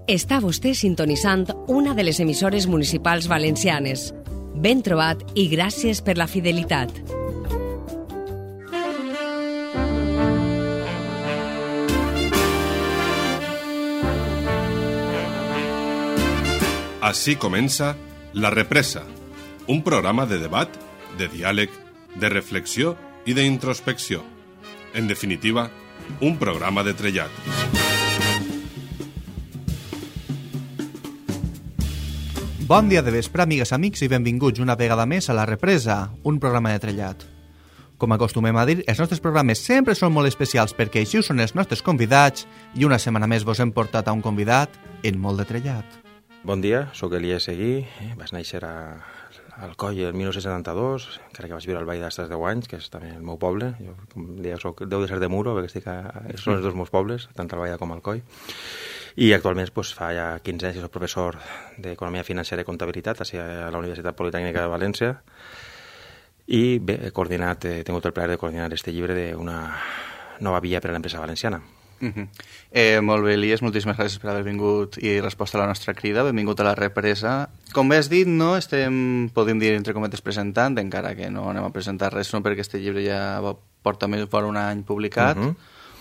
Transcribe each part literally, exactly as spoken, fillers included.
Està vostè sintonitzant una de les emissores municipals valencianes. Ben trobat i gràcies per la fidelitat. Així comença La Represa, un programa de debat, de diàleg, de reflexió i d'introspecció. En definitiva, un programa de trellat. Bon dia de vespre, amigues, amics, i benvinguts una vegada més a La Represa, un programa de trellat. Com acostumem a dir, els nostres programes sempre són molt especials perquè així són els nostres convidats i una setmana més vos hem portat a un convidat en molt de trellat. Bon dia, sóc Elies Seguí, eh? Vaig néixer a Alcoi el dinou setanta-dos, encara que vaig viure al Vall d'Astres deu anys, que és també el meu poble. Jo, com deia, soc, deu de ser de Muro, perquè estic a, són els dos meus pobles, tant al Vall com al Alcoi. I actualment doncs, fa ja quinze anys que soc professor d'Economia Financera i Comptabilitat a la Universitat Politècnica de València i bé, he coordinat, he tingut el plaer de coordinar este llibre d'una nova via per a l'empresa valenciana. Uh-huh. eh, molt bé, Elies, moltíssimes gràcies per haver vingut i resposta a la nostra crida. Benvingut a La Represa. Com bé has dit, no estem, podem dir, entre cometes, presentant, encara que no anem a presentar res, no, perquè este llibre ja porta més fora un any publicat. Uh-huh.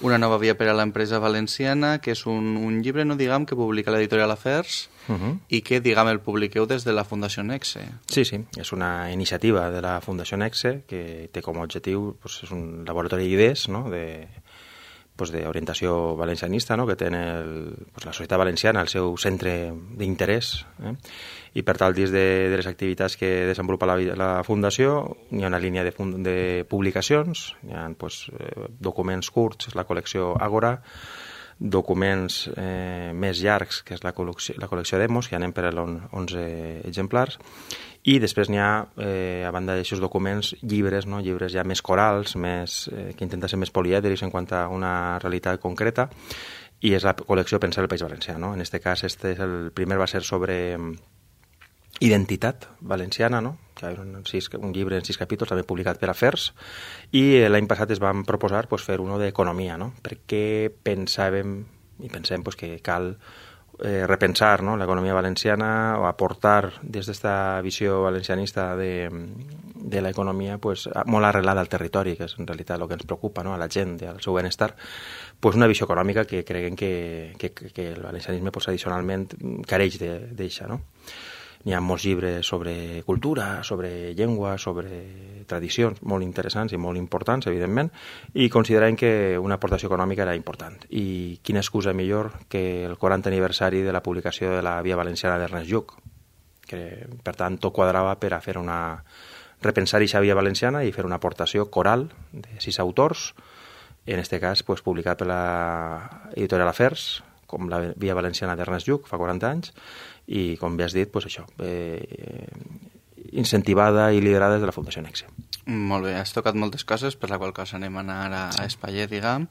Una nova via per a l'empresa valenciana, que és un, un llibre, no diguem, que publica l'editorial Afers uh-huh. i que, diguem, el publiqueu des de la Fundació Nexe. Sí, sí, és una iniciativa de la Fundació Nexe que té com a objectiu, pues, és un laboratori d'idees, no?, de pues, d'orientació valencianista, no?, que té el, pues, la societat valenciana el seu centre d'interès, eh? I per tal, dins de, de les activitats que desenvolupa la, la Fundació, hi ha una línia de, de publicacions, hi ha pues, eh, documents curts, la col·lecció Àgora, documents eh, més llargs, que és la col·lecció, la col·lecció Demos, que anem per a onze exemplars, i després n'hi ha, eh, a banda d'aixòs documents, llibres, no? Llibres ja més corals, més, eh, que intenten ser més polièdrics en quant a una realitat concreta, i és la col·lecció Pensar el País Valencià, no? En aquest cas, este és el primer va ser sobre identitat valenciana, no? Que hi ha un, sis, un llibre en sis capítols, també publicat per Afers, i l'any passat es van proposar pues, fer uno d'economia, no? Perquè pensàvem i pensem pues, que cal eh, repensar, no?, l'economia valenciana o aportar des d'esta visió valencianista de, de l'economia pues, molt arrelada al territori, que és en realitat el que ens preocupa, no?, a la gent i al seu benestar, pues, una visió econòmica que creguem que, que, que el valencianisme pues, tradicionalment careix d'eixa, no? N'hi ha molts llibres sobre cultura, sobre llengua, sobre tradicions, molt interessants i molt importants, evidentment, i considerem que una aportació econòmica era important. I quina excusa millor que el quaranta aniversari de la publicació de la Via Valenciana d'Ernest Lluch, que, per tant, tot quadrava per a fer una repensar aquesta Via Valenciana i fer una aportació coral de sis autors, en aquest cas pues, publicat per l'editorial Afers, com la Via Valenciana d'Ernest Lluch, fa quaranta anys, i, com bé has dit, pues això, eh, incentivada i liderada des de la Fundació Nexe. Molt bé, has tocat moltes coses, per la qual cosa anem a anar a, a espaier, diguem.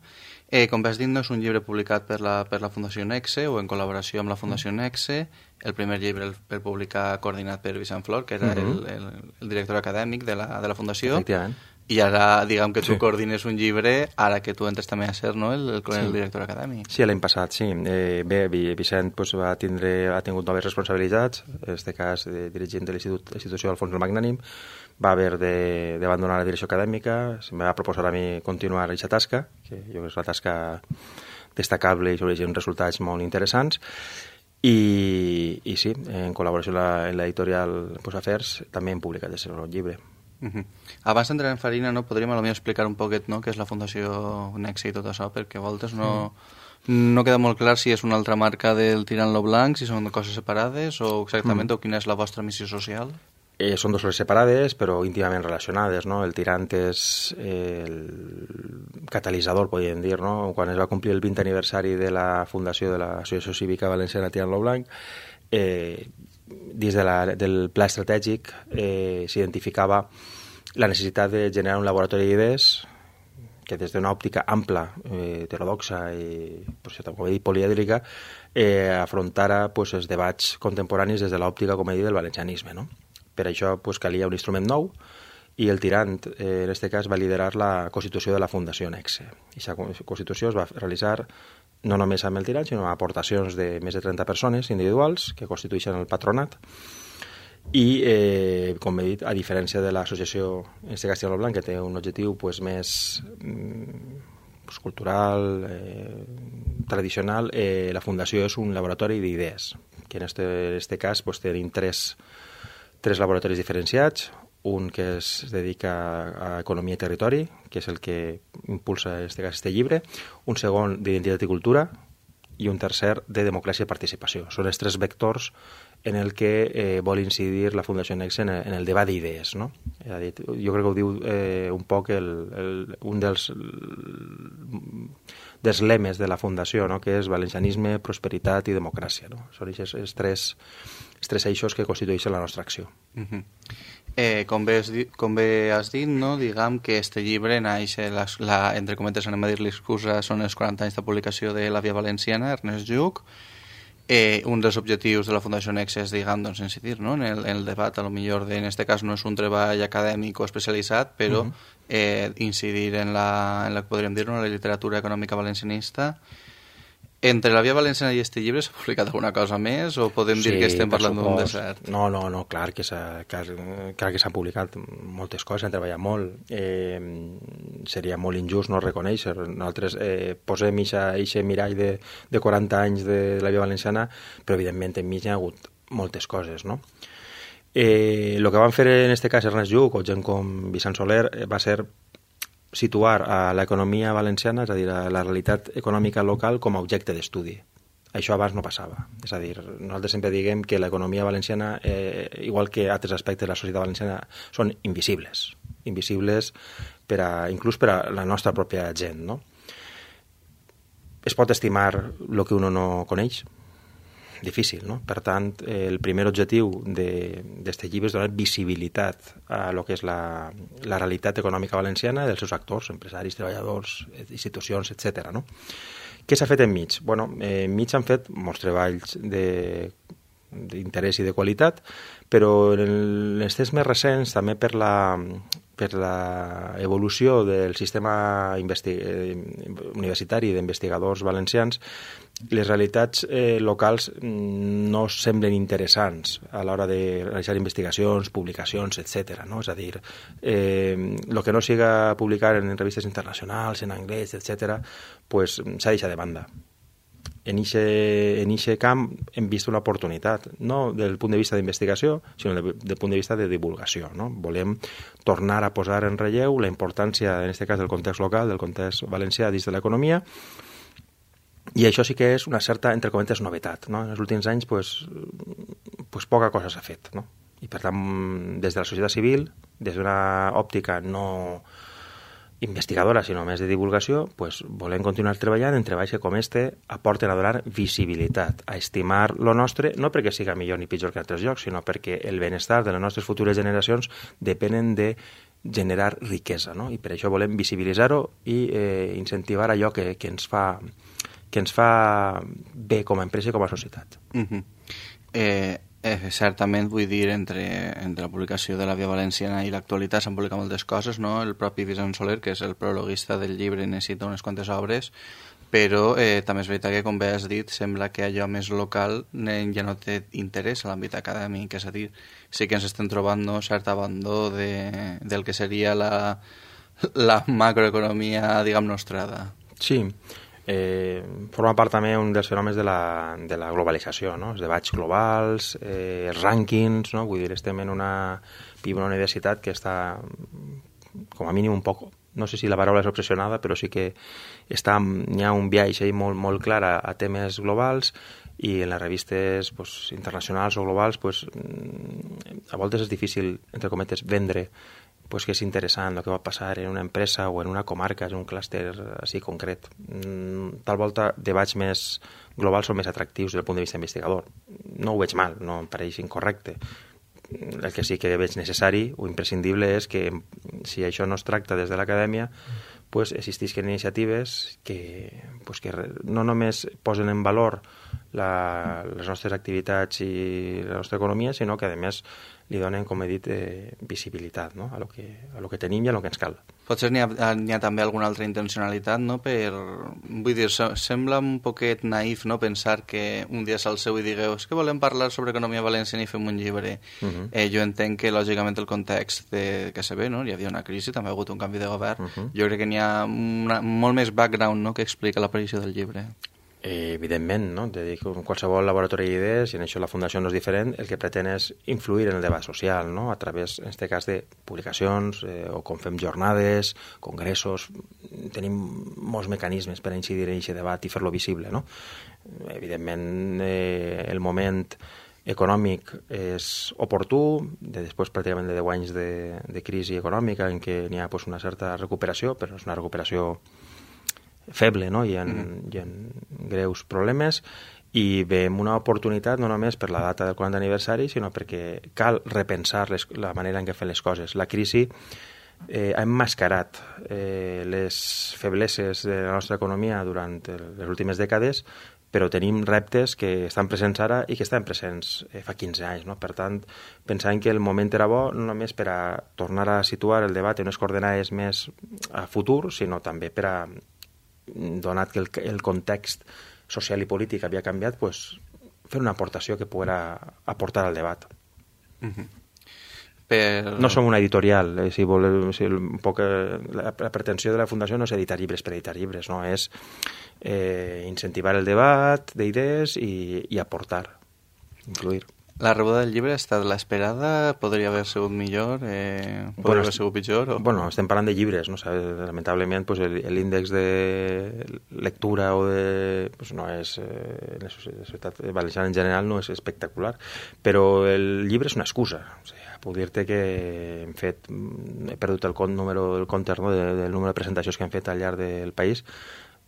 Eh, com bé has dit, no és un llibre publicat per la, per la Fundació Nexe o en col·laboració amb la Fundació Nexe. El primer llibre el, el publicar coordinat per Vicent Flor, que era uh-huh. el, el, el director acadèmic de la, de la Fundació. Efectivament. I ara, diguem que tu sí. coordines un llibre, ara que tu entres també a ser, no?, el, el, el sí. director acadèmic. Sí, l'any passat, sí. Eh, bé, Vicent pues, va tindre, ha tingut noves responsabilitats, en aquest cas de dirigent de l'institució Alfons el Magnànim, va haver d'abandonar la direcció acadèmica, em va proposar a mi continuar aquesta tasca, que jo crec que és una tasca destacable i sobre uns resultats molt interessants, i, i sí, en col·laboració amb l'editorial pues, Afers, també hem publicat el seu llibre. Uh-huh. Abans d'entrar en farina, no, podríem potser explicar un poquet, no?, què és la Fundació Nexe i tot això, perquè a voltes no, mm. no queda molt clar si és una altra marca del Tirant-lo Blanc, si són coses separades o exactament mm. o quina és la vostra missió social. Eh, són dues coses separades però íntimament relacionades, no? El Tirant és el catalitzador, podríem dir, no? Quan es va complir el vint aniversari de la fundació de l'Associació Cívica Valenciana Tirant-lo Blanc, eh, dins de la, del pla estratègic eh, s'identificava la necessitat de generar un laboratori d'idees que des d'una òptica ampla, eh, heterodoxa i, pues, com he dit, polièdrica, eh, afrontara pues, els debats contemporanis des de l'òptica, com he dit, del valencianisme, no? Per això pues, calia un instrument nou i el Tirant, eh, en aquest cas, va liderar la constitució de la Fundació Nexe. Aquesta constitució es va realitzar no només amb el tirant, sinó amb aportacions de més de trenta persones individuals que constitueixen el patronat. I, eh, com he dit, a diferència de l'associació Este Castilla Blanc, que té un objectiu pues, més pues, cultural, eh, tradicional, eh, la fundació és un laboratori d'idees, que en este, este cas pues, tenim tres, tres laboratoris diferenciats, un que es dedica a economia i territori, que és el que impulsa en este cas este llibre, un segon d'identitat i cultura i un tercer de democràcia i participació. Són els tres vectors en el que eh, vol incidir la Fundació Nexe en, en el debat d'idees, no? Jo crec que ho diu eh, un poc el, el, un dels, dels lemes de la Fundació, no? Que és valencianisme, prosperitat i democràcia. No? Són els, els, tres, els tres eixos que constitueixen la nostra acció. Uh-huh. Eh, com, bé has dit, com bé has dit, no? Diguem que este llibre naix, la, la, entre cometes anem a dir l'excusa, són els quaranta anys de publicació de La Via Valenciana, Ernest Lluch. Eh, un dels objectius de la Fundació Nexe és, diguem, doncs, incidir, no? en, el, en el debat, a lo millor, de, en este cas no és un treball acadèmic o especialitzat, però uh-huh. eh, incidir en la, en la, podríem dir, en la literatura econòmica valencianista. Entre La Via Valenciana i este llibre s'ha publicat alguna cosa més o podem sí, dir que estem parlant d'un desert? No, no, no, clar que s'ha clar que s'han publicat moltes coses, han treballat molt. Eh, seria molt injust no reconèixer. Nosaltres eh, posem aquest mirall de, de quaranta anys de La Via Valenciana, però evidentment enmig hi ha hagut moltes coses, no? Eh, el que van fer en este cas Ernest Lluch o gent com Vicent Soler va ser situar a l'economia valenciana, és a dir, a la realitat econòmica local com a objecte d'estudi. Això abans no passava. És a dir, nosaltres sempre diguem que l'economia valenciana, eh, igual que altres aspectes de la societat valenciana, són invisibles. Invisibles per a, inclús per a la nostra pròpia gent, no? Es pot estimar el que uno no coneix? Difícil, no? Per tant, el primer objectiu d'aquest llibre és donar visibilitat a lo que és la, la realitat econòmica valenciana dels seus actors, empresaris, treballadors, institucions, etcètera. No? Què s'ha fet enmig? Bueno, eh, enmig s'han fet molts treballs de d'interès i de qualitat, però en els temps més recents, també per la, per la evolució del sistema investi- universitari d'investigadors valencians, les realitats eh, locals no semblen interessants a l'hora de realitzar investigacions, publicacions, etcètera. No? És a dir, eh, el que no siga publicar en revistes internacionals, en anglès, etcètera, pues, s'ha deixat de banda. En aquest camp hem vist una oportunitat, no del punt de vista d'investigació, sinó del, del punt de vista de divulgació. No? Volem tornar a posar en relleu la importància, en aquest cas, del context local, del context valencià dins de l'economia, i això sí que és una certa, entre cometes, novetat. No? En els últims anys, pues, pues poca cosa s'ha fet. No? I, per tant, des de la societat civil, des d'una òptica no investigadora, sinó més de divulgació, pues, volem continuar treballant en treballs que com este aporten a donar visibilitat, a estimar lo nostre, no perquè siga millor ni pitjor que en altres llocs, sinó perquè el benestar de les nostres futures generacions depenen de generar riquesa, no? I per això volem visibilitzar-ho i eh, incentivar allò que, que, ens fa, que ens fa bé com a empresa i com a societat. Uh-huh. Eh... Eh, certament, vull dir, entre, entre la publicació de La Via Valenciana i l'actualitat s'han publicat moltes coses, no? El propi Vicent Soler, que és el prologuista del llibre, necessita unes quantes obres, però eh, també és veritat que, com bé has dit, sembla que allò més local eh, ja no té interès a l'àmbit acadèmic, és a dir, sí que ens estem trobant no, cert abandó de, del que seria la, la macroeconomia, diguem, nostrada. Sí, Eh, forma part també un dels fenòmens de la, de la globalització, no? Els debats globals, eh, els rànquings, no? Vull dir, estem en una, una universitat que està, com a mínim, un poc, no sé si la paraula és obsessionada, però sí que està, hi ha un viatge molt, molt clar a, a temes globals, i en les revistes pues, internacionals o globals pues, a voltes és difícil, entre cometes, vendre pues, que és interessant el que va passar en una empresa o en una comarca, en un clúster així concret. Tal volta, debats més globals són més atractius des del punt de vista investigador. No ho veig mal, no em pareix incorrecte. El que sí que veig necessari o imprescindible és que si això no es tracta des de l'acadèmia, pues, existisquen iniciatives que, pues, que no només posen en valor la, les nostres activitats i la nostra economia, sinó que, a més, li donen, com he dit, eh, visibilitat, no? a, lo que, a lo que tenim i a lo que ens cal. Potser n'hi ha, n'hi ha també alguna altra intencionalitat, no? Per, vull dir, sembla un poquet naïf, no?, pensar que un dia s'alceu i digueu és que volem parlar sobre economia valenciana i fem un llibre. Uh -huh. eh, jo entenc que, lògicament, el context de, que se ve, no?, hi havia una crisi, també ha hagut un canvi de govern. Uh -huh. Jo crec que n'hi ha una, molt més background, no?, que explica l'aparició del llibre. Eh, evidentment, no? De dir, com qualsevol laboratori d'idees, i en això la Fundació no és diferent, el que pretén és influir en el debat social, no? A través, en aquest cas, de publicacions, eh, o com fem jornades, congressos, tenim molts mecanismes per incidir en aquest debat i fer-lo visible, no? Evidentment, eh, el moment econòmic és oportú, de després pràcticament de deu anys de, de crisi econòmica en què n'hi ha pues, una certa recuperació, però és una recuperació feble, no? Hi ha, mm. hi ha greus problemes i veiem una oportunitat no només per la data del quaranta aniversari, sinó perquè cal repensar les, la manera en què fem les coses. La crisi eh, ha emmascarat eh, les febleses de la nostra economia durant les últimes dècades, però tenim reptes que estan presents ara i que estan presents eh, fa quinze anys. No? Per tant, pensant que el moment era bo no només per a tornar a situar el debat en unes coordenades més a futur, sinó també per a, donat que el, el context social i polític havia canviat, pues, fer una aportació que poguera aportar al debat. Uh-huh. Per... No som una editorial, eh, si voleu, si un poc, eh, la, la pretensió de la Fundació no és editar llibres per editar llibres, no? És eh, incentivar el debat d'idees i, i aportar, influir. La rebuda del llibre ha estat l'esperada? Podria haver sigut millor? Eh, podria bueno, haver sigut pitjor? O... Bueno, estem parlant de llibres, no? Lamentablement pues, l'índex de lectura o de, pues, no és, eh, la societat valenciana en general no és espectacular, però el llibre és una excusa. O sigui, puc dir-te que hem fet, he perdut el, número, el compte no, de, del número de presentacions que hem fet al llarg del país,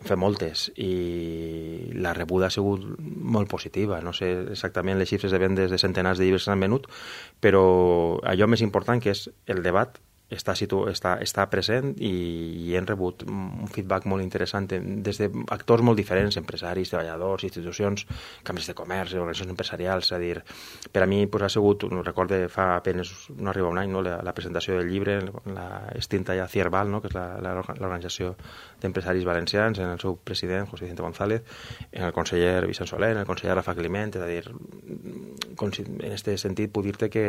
fem moltes i la rebuda ha sigut molt positiva. No sé exactament les xifres de vendes de centenars de llibres que s'han venut, però allò més important que és el debat està, situ... està, està present i, i hem rebut un feedback molt interessant des d'actors molt diferents, empresaris, treballadors, institucions, cambres de comerç, organitzacions empresarials. És a dir, per a mi pues, ha sigut, no recordo, fa apenas no arriba un any, no, la, la presentació del llibre, la extinta ja Cierval, no, que és l'organització d'empresaris valencians, en el seu president, José Vicente González, en el conseller Vicent Soler, en el conseller Rafa Climent. És a dir, en aquest sentit puc dir-te que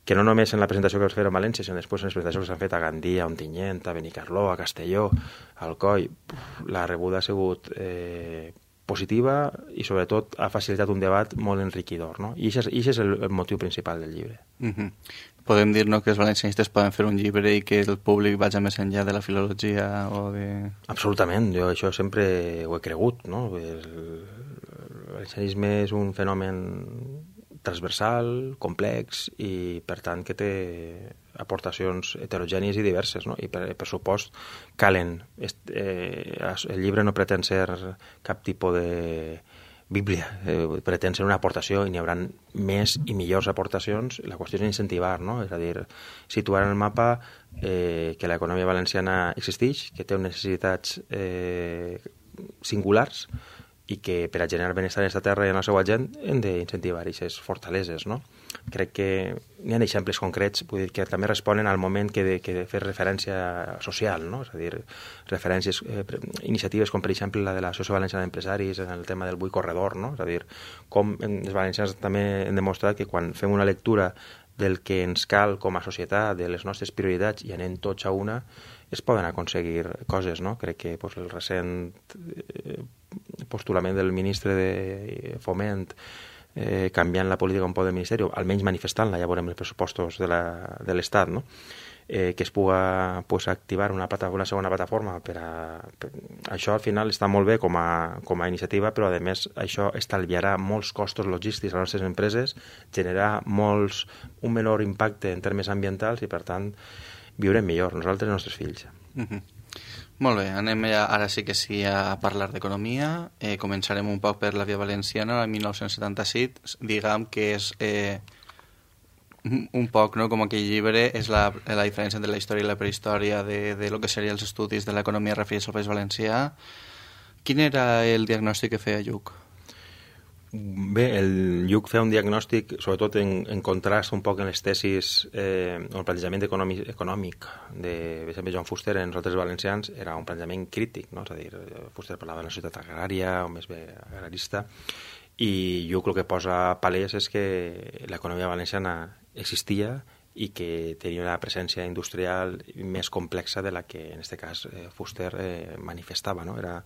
que no només en la presentació que vas fer a València, sinó després en les presentacions que s'han fet a Gandia, a Ontinyent, a Benicarló, a Castelló, a Alcoi, la rebuda ha sigut eh, positiva i sobretot ha facilitat un debat molt enriquidor, no? I això és el, el motiu principal del llibre. Uh-huh. Podem dir, no, que els valencianistes poden fer un llibre i que el públic vagi més enllà de la filologia o de... Absolutament, jo això sempre ho he cregut, no? El, el valencianisme és un fenomen transversal, complex i per tant que té aportacions heterogènies i diverses, no? I per, per supost calen. Eh, el llibre no pretén ser cap tipus de bíblia, eh, pretén ser una aportació i n'hi haurà més i millors aportacions. La qüestió és incentivar, no? És a dir, situar en el mapa eh, que l'economia valenciana existeix, que té necessitats eh, singulars i que per a generar benestar en aquesta terra i en la seva gent hem d'incentivar aquestes fortaleses, no? Crec que hi ha exemples concrets, vull dir, que també responen al moment que de, que de fer referència social, no? És a dir, referències, eh, iniciatives com per exemple la de l'Associació Valenciana d'Empresaris en el tema del Bui Corredor, no? És a dir, com els valencians també hem demostrat que quan fem una lectura del que ens cal com a societat, de les nostres prioritats i anem tots a una, es poden aconseguir coses, no? Crec que pues, el recent eh, postulament del ministre de Foment eh, canviant la política un poc del Ministeri, almenys manifestant-la, ja veurem els pressupostos de l'Estat, no? eh, que es puga pues, activar una, plata, una segona plataforma per a... Per, això al final està molt bé com a, com a iniciativa, però a més això estalviarà molts costos logístics a les nostres empreses, generarà molts, un menor impacte en termes ambientals i per tant viurem millor, nosaltres i els nostres fills. Uh-huh. Molt bé, anem ja, ara sí que sí a parlar d'economia. Eh, començarem un poc per la Via Valenciana, el dinou setanta-set, diguem que és eh, un poc, no?, com aquell llibre, és la, la diferència entre la història i la prehistòria de, de lo que serien els estudis de l'economia referits al País Valencià. Quin era el diagnòstic que feia Lluc? Bé, el Lluc feia un diagnòstic, sobretot en, en contrast un poc en les tesis, eh, el plantejament econòmic, econòmic de, per exemple, Joan Fuster en Nosaltres Valencians era un plantejament crític, no? És a dir, Fuster parlava de la societat agrària o més bé agrarista, i Lluc el que posa palès és que l'economia valenciana existia i que tenia una presència industrial més complexa de la que en aquest cas eh, Fuster eh, manifestava, no? Era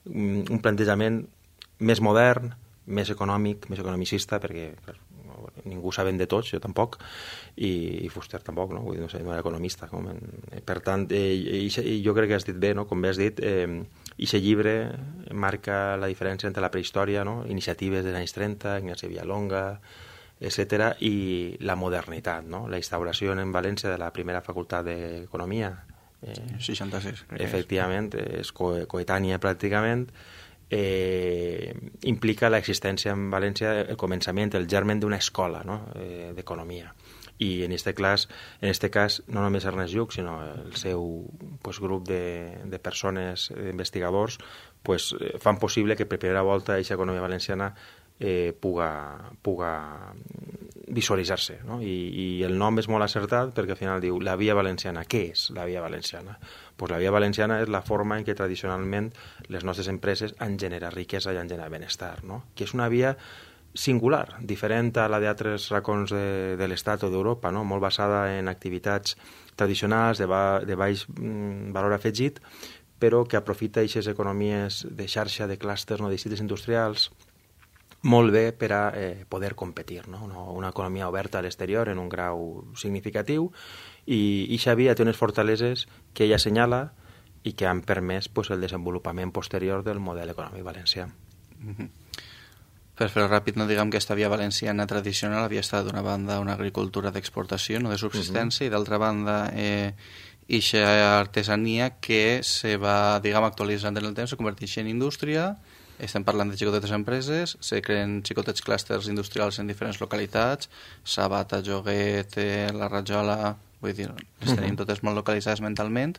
un, un plantejament més modern, més econòmic, més economicista, perquè clar, ningú saben de tots, jo tampoc, i, i Fuster tampoc, no? Vull dir, no sé, no era economista. Com en... Per tant, eh, i, i jo crec que has dit bé, no? Com bé has dit, eh, aquest llibre marca la diferència entre la prehistòria, no? Iniciatives dels anys trenta, Ignasi Villalonga, etcètera, i la modernitat, no? La instauració en València de la primera facultat d'Economia. Eh, seixanta-sis, crec que efectivament, és, és co coetània pràcticament. Eh, implica l'existència en València, el començament, el germen d'una escola, no? eh, d'economia. I en este, cas, en este cas, no només Ernest Lluch, sinó el seu pues, grup de, de persones, d'investigadors, pues, fan possible que per primera volta aquesta economia valenciana eh, puga, puga visualitzar-se, no? I, i el nom és molt acertat perquè al final diu la via valenciana. Què és la via valenciana? Pues la via valenciana és la forma en què tradicionalment les nostres empreses han generat riquesa i han generat benestar, no? Que és una via singular, diferent a la d'altres racons de, de l'Estat o d'Europa, no? Molt basada en activitats tradicionals de, ba, de baix mm, valor afegit, però que aprofita aquestes economies de xarxa, de clústers, no? De districtes industrials, molt bé per a eh, poder competir, no? Una, una economia oberta a l'exterior en un grau significatiu, i aquesta via té unes fortaleses que ella assenyala i que han permès pues, el desenvolupament posterior del model econòmic valencià. Mm-hmm. Per fer-ho ràpid, no diguem que aquesta via valenciana tradicional havia estat d'una banda una agricultura d'exportació, no de subsistència, mm-hmm. i d'altra banda eh, eixa artesania que se va, diguem, actualitzant en el temps, se converteix en indústria. Estem parlant de xicotetes empreses, se creen xicotets clústers industrials en diferents localitats, Sabata, Joguet, eh, la Rajola, vull dir, les tenim uh-huh. totes molt localitzades mentalment,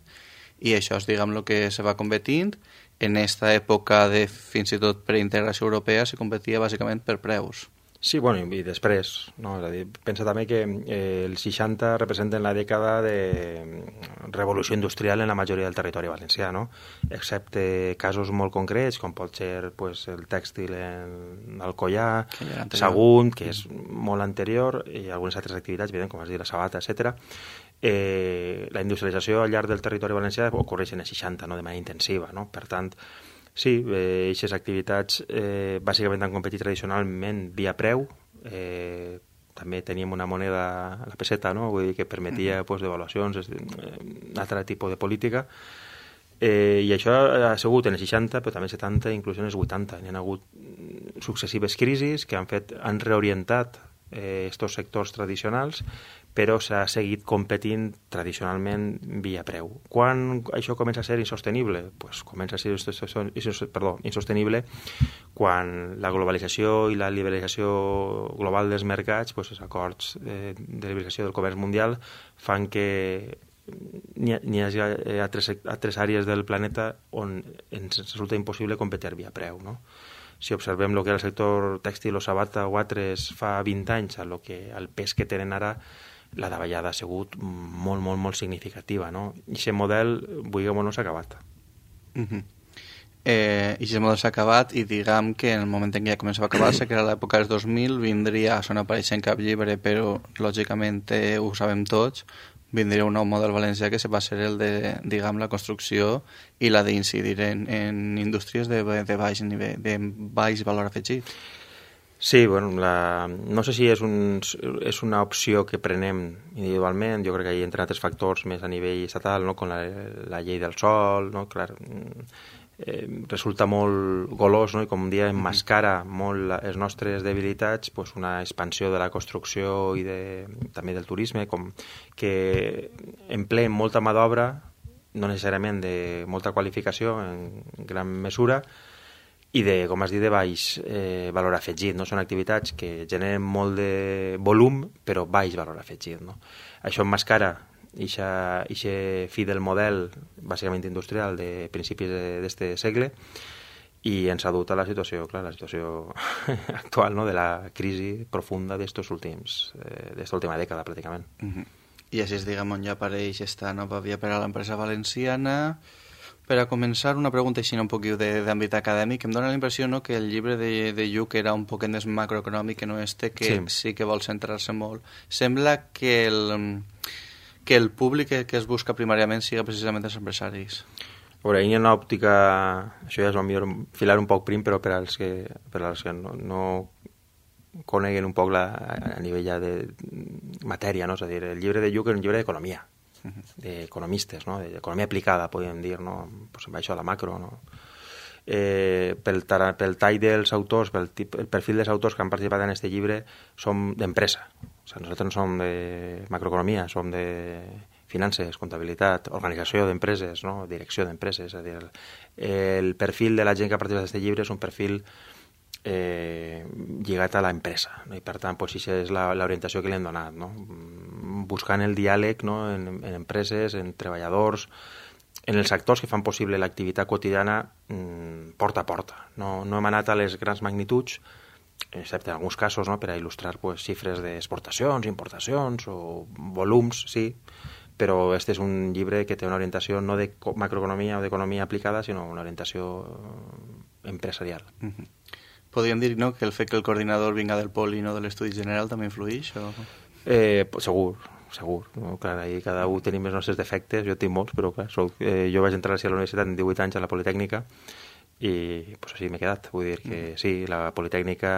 i això és, diguem, el que se va competint. En aquesta època de fins i tot preintegració europea se competia bàsicament per preus. Sí, bueno, i després, no? És a dir, pensa també que eh, els seixanta representen la dècada de revolució industrial en la majoria del territori valencià, no? Excepte casos molt concrets, com pot ser pues, el tèxtil en Alcoyà, Sagunt, que és molt anterior, i algunes altres activitats, evident, com has dit, la Sabata, etcètera. Eh, la industrialització al llarg del territori valencià ocorreix en els seixanta, no? De manera intensiva, no? Per tant, sí, aquestes eh, activitats eh, bàsicament han competit tradicionalment via preu. Eh, també teníem una moneda, la peseta, no? Vull dir que permetia pues, devaluacions, eh, un altre tipus de política. Eh, I això ha sigut en els seixanta, però també en setanta, inclús en els vuitanta. Hi ha hagut successives crisis que han, fet, han reorientat aquests eh, sectors tradicionals, però s'ha seguit competint tradicionalment via preu. Quan això comença a ser insostenible? Pues comença a ser perdó, insostenible quan la globalització i la liberalització global dels mercats, pues, els acords de, de liberalització del comerç mundial fan que n'hi, n'hi hagi altres, altres àrees del planeta on ens resulta impossible competir via preu, no? Si observem el que era el sector tèxtil o Sabata o altres fa vint anys, el, que, el pes que tenen ara, la davallada ha sigut molt, molt, molt significativa, no? I aquest model, vulguem o no, s'ha acabat. Uh-huh. eh, I aquest model s'ha acabat, i diguem que en el moment en què ja començava a acabar-se, que era l'època dels dos mil, vindria, això no apareix en cap llibre, però lògicament eh, ho sabem tots, vindria un nou model valencià que va ser el de, diguem, la construcció i la d'incidir en, en indústries de, de, baix nivell, de baix valor afegit. Sí, bueno, la, no sé si és, un, és una opció que prenem individualment, jo crec que hi entren altres factors més a nivell estatal, no? Com la, la llei del sòl, no? Clar, eh, resulta molt golós, no? I com un dia emmascara molt les nostres debilitats, pues una expansió de la construcció i de, també del turisme, com que empleen molta mà d'obra, no necessàriament de molta qualificació en gran mesura, i de, com has dit, de baix eh, valor afegit, no? Són activitats que generen molt de volum, però baix valor afegit, no? Això emmascara aquest fi del model, bàsicament industrial, de principis d'aquest segle, i ens ha dut a la situació, clar, la situació actual, no?, de la crisi profunda d'estos últims, eh, d'esta última dècada, pràcticament. Uh-huh. I així, diguem, on ja apareix esta nova via per a l'empresa valenciana. Per a començar, una pregunta així un poquet d'àmbit acadèmic. Em dóna la impressió, no?, que el llibre de, de Lluc era un poquet més macroeconòmic que no este, que sí, sí que vol centrar-se molt. Sembla que el, que el públic que, que es busca primàriament siga precisament els empresaris. A veure, hi ha una òptica, això ja és millor filar un poc prim, però per als que, per als que no, no coneguen un poc la, a nivell ja de matèria, no? És a dir, el llibre de Lluc és un llibre d'economia, d'economistes, no? D'economia aplicada, podríem dir, no? Pues amb això de la macro, no? Eh, pel, pel tall dels autors, pel tip, el perfil dels autors que han participat en aquest llibre, som d'empresa. O sigui, nosaltres no som de macroeconomia, som de finances, comptabilitat, organització d'empreses, no? Direcció d'empreses. És a dir, el, el perfil de la gent que ha participat en aquest llibre és un perfil eh, lligat a l'empresa, no? I per tant, pues, això és l'orientació que li hem donat, no? Buscant el diàleg, no?, en, en empreses, en treballadors, en els actors que fan possible l'activitat quotidiana mmm, porta a porta. No, no hem anat a les grans magnituds, excepte en alguns casos, no?, per a il·lustrar, pues, xifres d'exportacions, importacions o volums, sí, però este és un llibre que té una orientació no de macroeconomia o d'economia aplicada, sinó una orientació empresarial. Uh-huh. Podríem dir, no?, que el fet que el coordinador vinga del Pol i no de l'Estudi General també influeix? O... Eh, segur, segur. No? Clar, ahí cada un tenim els nostres defectes, jo tinc molts, però clar, soc, eh, jo vaig entrar a la universitat en divuit anys a la Politècnica i pues, així m'he quedat. Vull dir que mm. sí, la Politècnica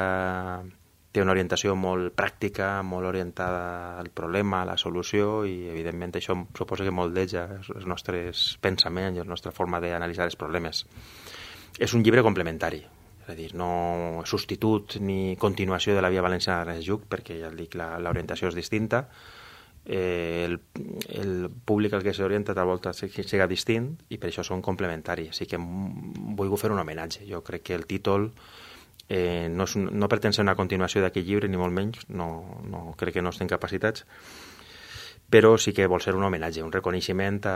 té una orientació molt pràctica, molt orientada al problema, a la solució, i evidentment això suposa que moldeja els nostres pensaments i la nostra forma d'analitzar els problemes. És un llibre complementari, és a dir, no substitut ni continuació de la Via Valenciana d'Ernest Lluch, perquè ja et dic, l'orientació és distinta, eh, el, el públic al que s'orienta tal volta siga distint, i per això són complementaris. Així que vull fer un homenatge. Jo crec que el títol Eh, no, és, no pretén ser una continuació d'aquest llibre, ni molt menys, no, no, crec que no estem capacitats, però sí que vol ser un homenatge, un reconeixement a,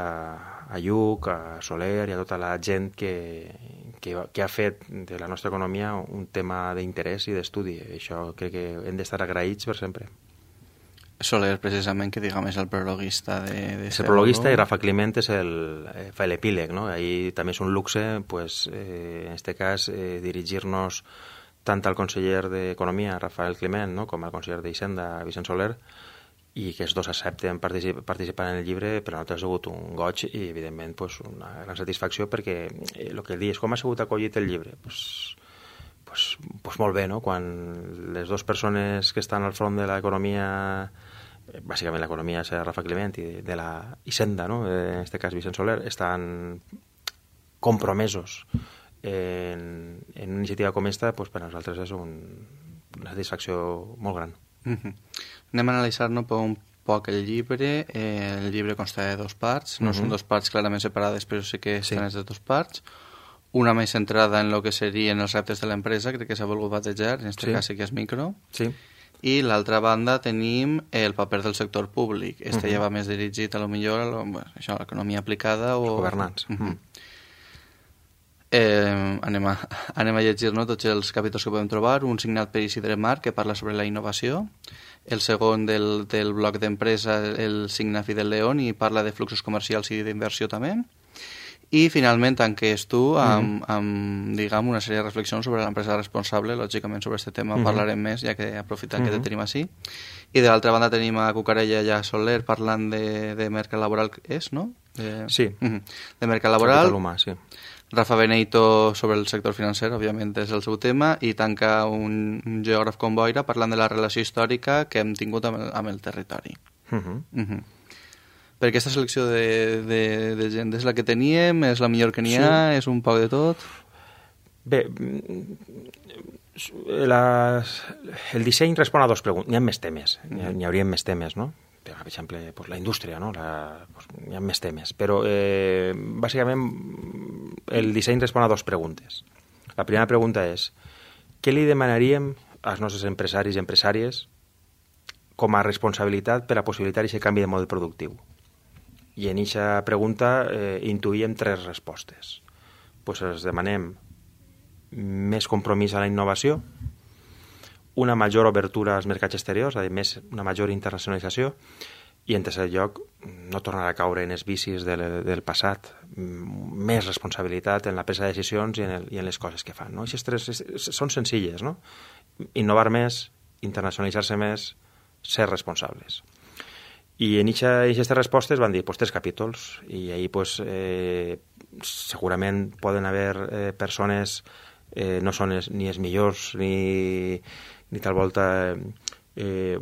a Lluch, a Soler i a tota la gent que, que, que ha fet de la nostra economia un tema d'interès i d'estudi. Això crec que hem d'estar agraïts per sempre. Soler, precisament, que diguem és el prologuista de... de és el prologuista i Rafa Climent és el, eh, fa l'epíleg, no? Ahí també és un luxe, pues, eh, en este cas, eh, dirigir-nos tant al conseller d'Economia, Rafael Climent, no?, com al conseller d'Hisenda, Vicent Soler, i que els dos accepten particip participar en el llibre. Per a nosaltres ha sigut un goig i, evidentment, pues, una gran satisfacció, perquè el eh, que ell diu és com ha sigut acollit el llibre. Pues, pues, pues molt bé, no?, quan les dues persones que estan al front de l'economia, bàsicament l'economia és Rafa Climent i de la Hisenda, no?, en aquest cas Vicent Soler, estan compromesos En, en una iniciativa com esta, pues, per a nosaltres és un, una satisfacció molt gran. Uh-huh. Anem a analitzar-nos un poc el llibre. Eh, el llibre consta de dos parts, no uh-huh. són dos parts clarament separades, però sí que estan sí. de dos parts. Una més centrada en el que serien els reptes de l'empresa, crec que s'ha volgut batejar, en aquest sí. cas sí que és micro. Sí. I l'altra banda tenim el paper del sector públic. Este uh-huh. ja va més dirigit a lo millor a lo, bueno, això, a l'economia aplicada o... Els governants. Uh-huh. Uh-huh. Eh, anem, a, anem a llegir, no?, tots els capítols que podem trobar. Un signat per Isidre Marc, que parla sobre la innovació. El segon del, del bloc d'empresa, el signa Fidel León, i parla de fluxos comercials i d'inversió també. I finalment tanques tu amb, mm. amb, diguem, una sèrie de reflexions sobre l'empresa responsable. Lògicament sobre aquest tema mm. parlarem més, ja que aprofitant mm. que te tenim així. I de l'altra banda tenim a Cucarella i a Soler parlant de, de mercat laboral, és, no? De, sí. Mm -hmm. De mercat laboral. Capital humà, sí. Rafa Beneito sobre el sector financer, òbviament és el seu tema, i tanca un, un geògraf com Boira parlant de la relació històrica que hem tingut amb el, amb el territori. Uh -huh. Uh -huh. Per aquesta selecció de, de, de gent és la que teníem, és la millor que n'hi ha, sí. és un poc de tot? Bé, la, el disseny respon a dos preguntes. N'hi ha més temes, n'hi hauria més temes, no? Per exemple, pues, la indústria, no? La, pues, hi ha més temes, però eh, bàsicament el disseny respon a dues preguntes. La primera pregunta és: què li demanaríem als nostres empresaris i empresàries com a responsabilitat per a possibilitar aquest canvi de model productiu? I en aquesta pregunta eh, intuïem tres respostes. Pues els demanem més compromís a la innovació, una major obertura als mercats exteriors, a dir, més, una major internacionalització, i en tercer lloc, no tornar a caure en els vicis del, del passat, més responsabilitat en la presa de decisions i en, el, i en les coses que fan. No? Aquestes tres són senzilles, no? Innovar més, internacionalitzar-se més, ser responsables. I en aquestes respostes van dir pues, tres capítols, i ahir pues, eh, segurament poden haver eh, persones, eh, no són es, ni els millors ni, ni tal volta... Eh,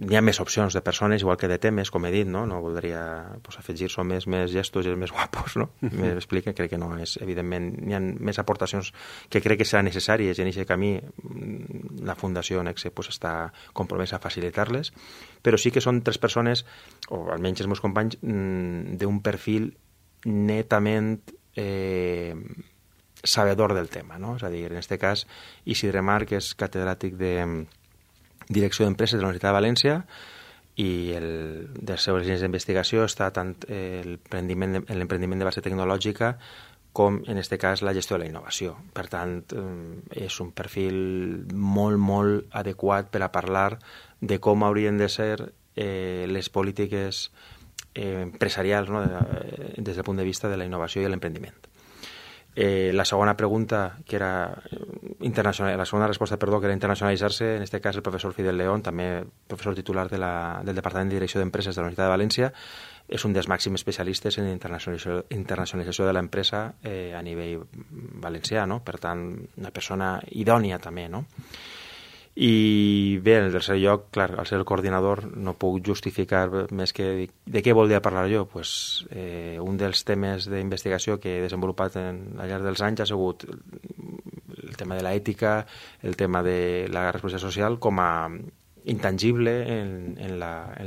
hi ha més opcions de persones, igual que de temes, com he dit, no, no voldria pues, afegir-se més, més gestos i més guapos, no? M'explica, crec que no és, evidentment, hi ha més aportacions que crec que seran necessàries, i en aquest camí la Fundació Nexe pues, està compromesa a facilitar-les, però sí que són tres persones, o almenys els meus companys, d'un perfil netament eh, sabedor del tema, no? És a dir, en aquest cas, Isidre Marc és catedràtic de Direcció d'Empreses de la Universitat de València, i el, de les seves línies d'investigació està tant l'emprendiment de base tecnològica com, en aquest cas, la gestió de la innovació. Per tant, és un perfil molt, molt adequat per a parlar de com haurien de ser eh, les polítiques eh, empresarials, no? Des del punt de vista de la innovació i l'emprendiment. Eh, la segona pregunta, que era internacional, la segona resposta, perdó, que era internacionalitzar-se, en aquest cas el professor Fidel León, també professor titular de la, del Departament de Direcció d'Empreses de la Universitat de València, és un dels màxims especialistes en internacionalització, internacionalització de l'empresa eh, a nivell valencià, no? Per tant, una persona idònia també, no? I bé, en el tercer lloc, clar, al ser el coordinador no puc justificar més que de què volia parlar jo. Pues, eh, un dels temes d'investigació que he desenvolupat en, al llarg dels anys ha sigut el tema de l'ètica, el tema de la responsabilitat social com a intangible en, en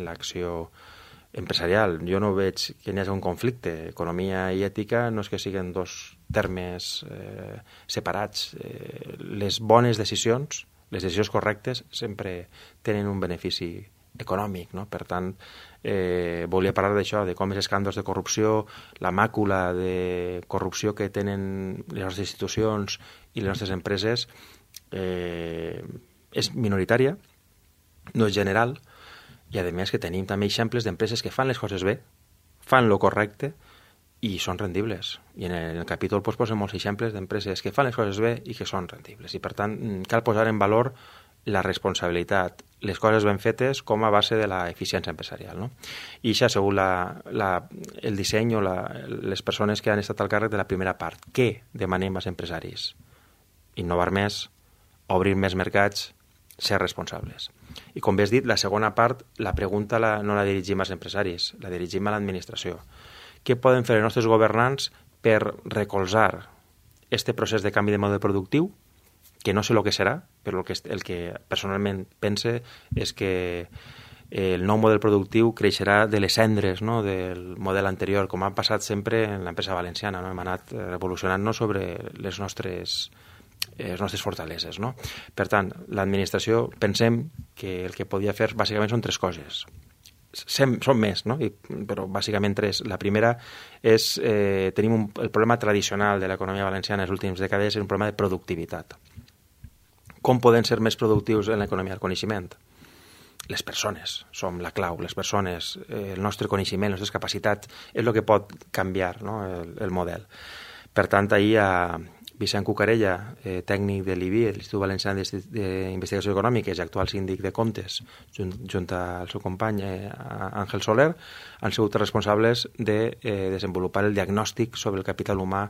l'acció empresarial. Jo no veig que hi hagi un conflicte. Economia i ètica no és que siguin dos termes eh, separats. Eh, les bones decisions, les decisions correctes sempre tenen un benefici econòmic, no? Per tant, eh, volia parlar d'això, de com els escàndols de corrupció, la màcula de corrupció que tenen les nostres institucions i les nostres empreses eh, és minoritària, no és general, i a més que tenim també exemples d'empreses que fan les coses bé, fan lo correcte i són rendibles. I en el, en el capítol pues, posen molts exemples d'empreses que fan les coses bé i que són rendibles. I per tant cal posar en valor la responsabilitat, les coses ben fetes com a base de la eficiència empresarial, no? I això ha sigut la, la, el disseny o la, les persones que han estat al càrrec de la primera part. Què demanem als empresaris? Innovar més, obrir més mercats, ser responsables. I com bé has dit, la segona part, la pregunta la, no la dirigim als empresaris, la dirigim a l'administració. Què poden fer els nostres governants per recolzar este procés de canvi de model productiu, que no sé el que serà, però el que, el que personalment pense és que el nou model productiu creixerà de les cendres, no?, del model anterior, com ha passat sempre en l'empresa valenciana, no? Hem anat revolucionant-nos sobre les nostres, les nostres fortaleses, no? Per tant, l'administració pensem que el que podia fer bàsicament són tres coses. Sem, són més, no? I, però bàsicament tres. La primera és, eh, tenim un, el problema tradicional de l'economia valenciana en les últimes dècades és un problema de productivitat. Com poden ser més productius en l'economia del coneixement? Les persones som la clau, les persones, eh, el nostre coneixement, les nostres capacitats, és el que pot canviar, no?, el, el model. Per tant, ahir a Vicent Cucarella, eh, tècnic de l'I B I, l'Institut Valencià d'Investigació Econòmiques i actual síndic de comptes, junt, junt al seu company eh, Àngel Soler, han sigut responsables de eh, desenvolupar el diagnòstic sobre el capital humà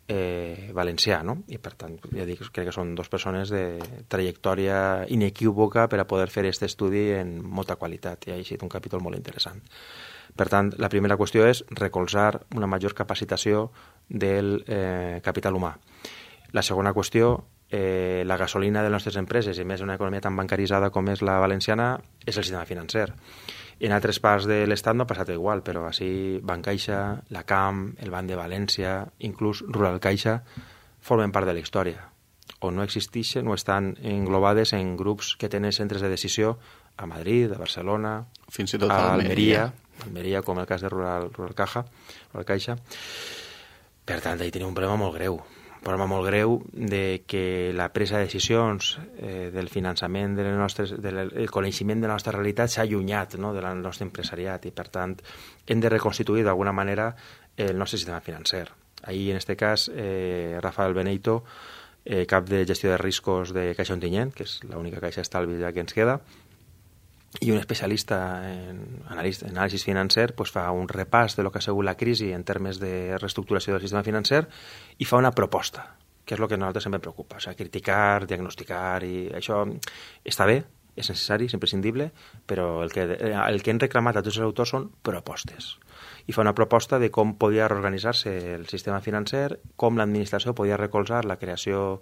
eh, valencià, no? I per tant, ja dic, crec que són dues persones de trajectòria inequívoca per a poder fer aquest estudi en molta qualitat, i ha eixit un capítol molt interessant. Per tant, la primera qüestió és recolzar una major capacitació del eh, capital humà. La segona qüestió, eh, la gasolina de les nostres empreses, i més en una economia tan bancaritzada com és la valenciana, és el sistema financer. En altres parts de l'Estat no ha passat igual, però així Bancaixa, la CAM, el Banc de València, inclús Rural Caixa, formen part de la història, o no existeixen o estan englobades en grups que tenen centres de decisió a Madrid, a Barcelona, fins i tot a Almeria, Almeria, com el cas de Rural, Rural, Caja, Rural Caixa. Per tant, ahí tenim un problema molt greu. problema molt greu de que la presa de decisions eh, del finançament de les nostres, del el coneixement de la nostra realitat s'ha allunyat, no?, del nostre empresariat, i per tant hem de reconstituir d'alguna manera el nostre sistema financer. Ahir, en aquest cas, eh, Rafael Beneito, eh, cap de gestió de riscos de Caixa Ontinyent, que és l'única caixa d'estalvi ja que ens queda, i un especialista en anàlisi, anàlisi financer pues, fa un repàs de lo que ha sigut la crisi en termes de reestructuració del sistema financer i fa una proposta, que és el que a nosaltres sempre preocupa. O sigui, criticar, diagnosticar, i això està bé, és necessari, és imprescindible, però el que, el que hem reclamat a tots els autors són propostes. I fa una proposta de com podia reorganitzar-se el sistema financer, com l'administració podia recolzar la creació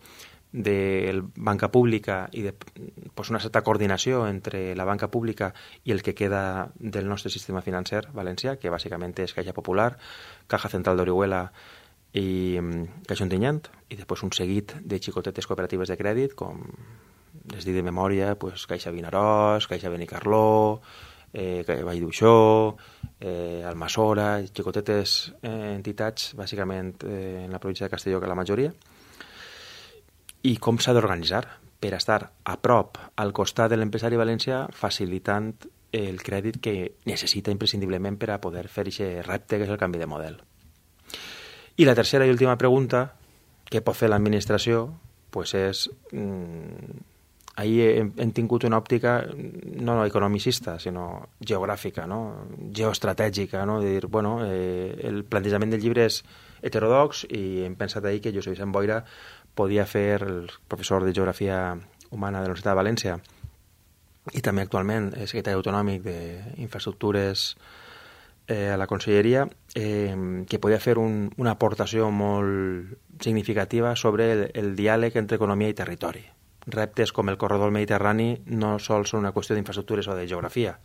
de banca pública i de pues, una certa coordinació entre la banca pública i el que queda del nostre sistema financer valencià, que bàsicament és Caixa Popular, Caja Central d'Orihuela i Caixa Ontinyent, i després un seguit de xicotetes cooperatives de crèdit, com les dic de memòria, pues, Caixa Vinaròs, Caixa Benicarló, eh, Vall d'Uixó, eh, Almassora, xicotetes eh, entitats, bàsicament eh, en la província de Castelló, que la majoria, i com s'ha d'organitzar per estar a prop, al costat de l'empresari valencià, facilitant el crèdit que necessita imprescindiblement per a poder fer aquest repte que és el canvi de model. I la tercera i última pregunta que pot fer l'administració pues és... Mmm, ahir hem, hem tingut una òptica no economicista, sinó geogràfica, no? Geoestratègica, no? De dir, bueno, eh, el plantejament del llibre és heterodox i hem pensat ahir que Josep Vicent Boira podia fer, el professor de Geografia Humana de la Universitat de València i també actualment és secretari autonòmic d'Infraestructures eh, a la Conselleria, eh, que podia fer un, una aportació molt significativa sobre el, el diàleg entre economia i territori. Reptes com el corredor mediterrani no sols són una qüestió d'infraestructures o de geografia,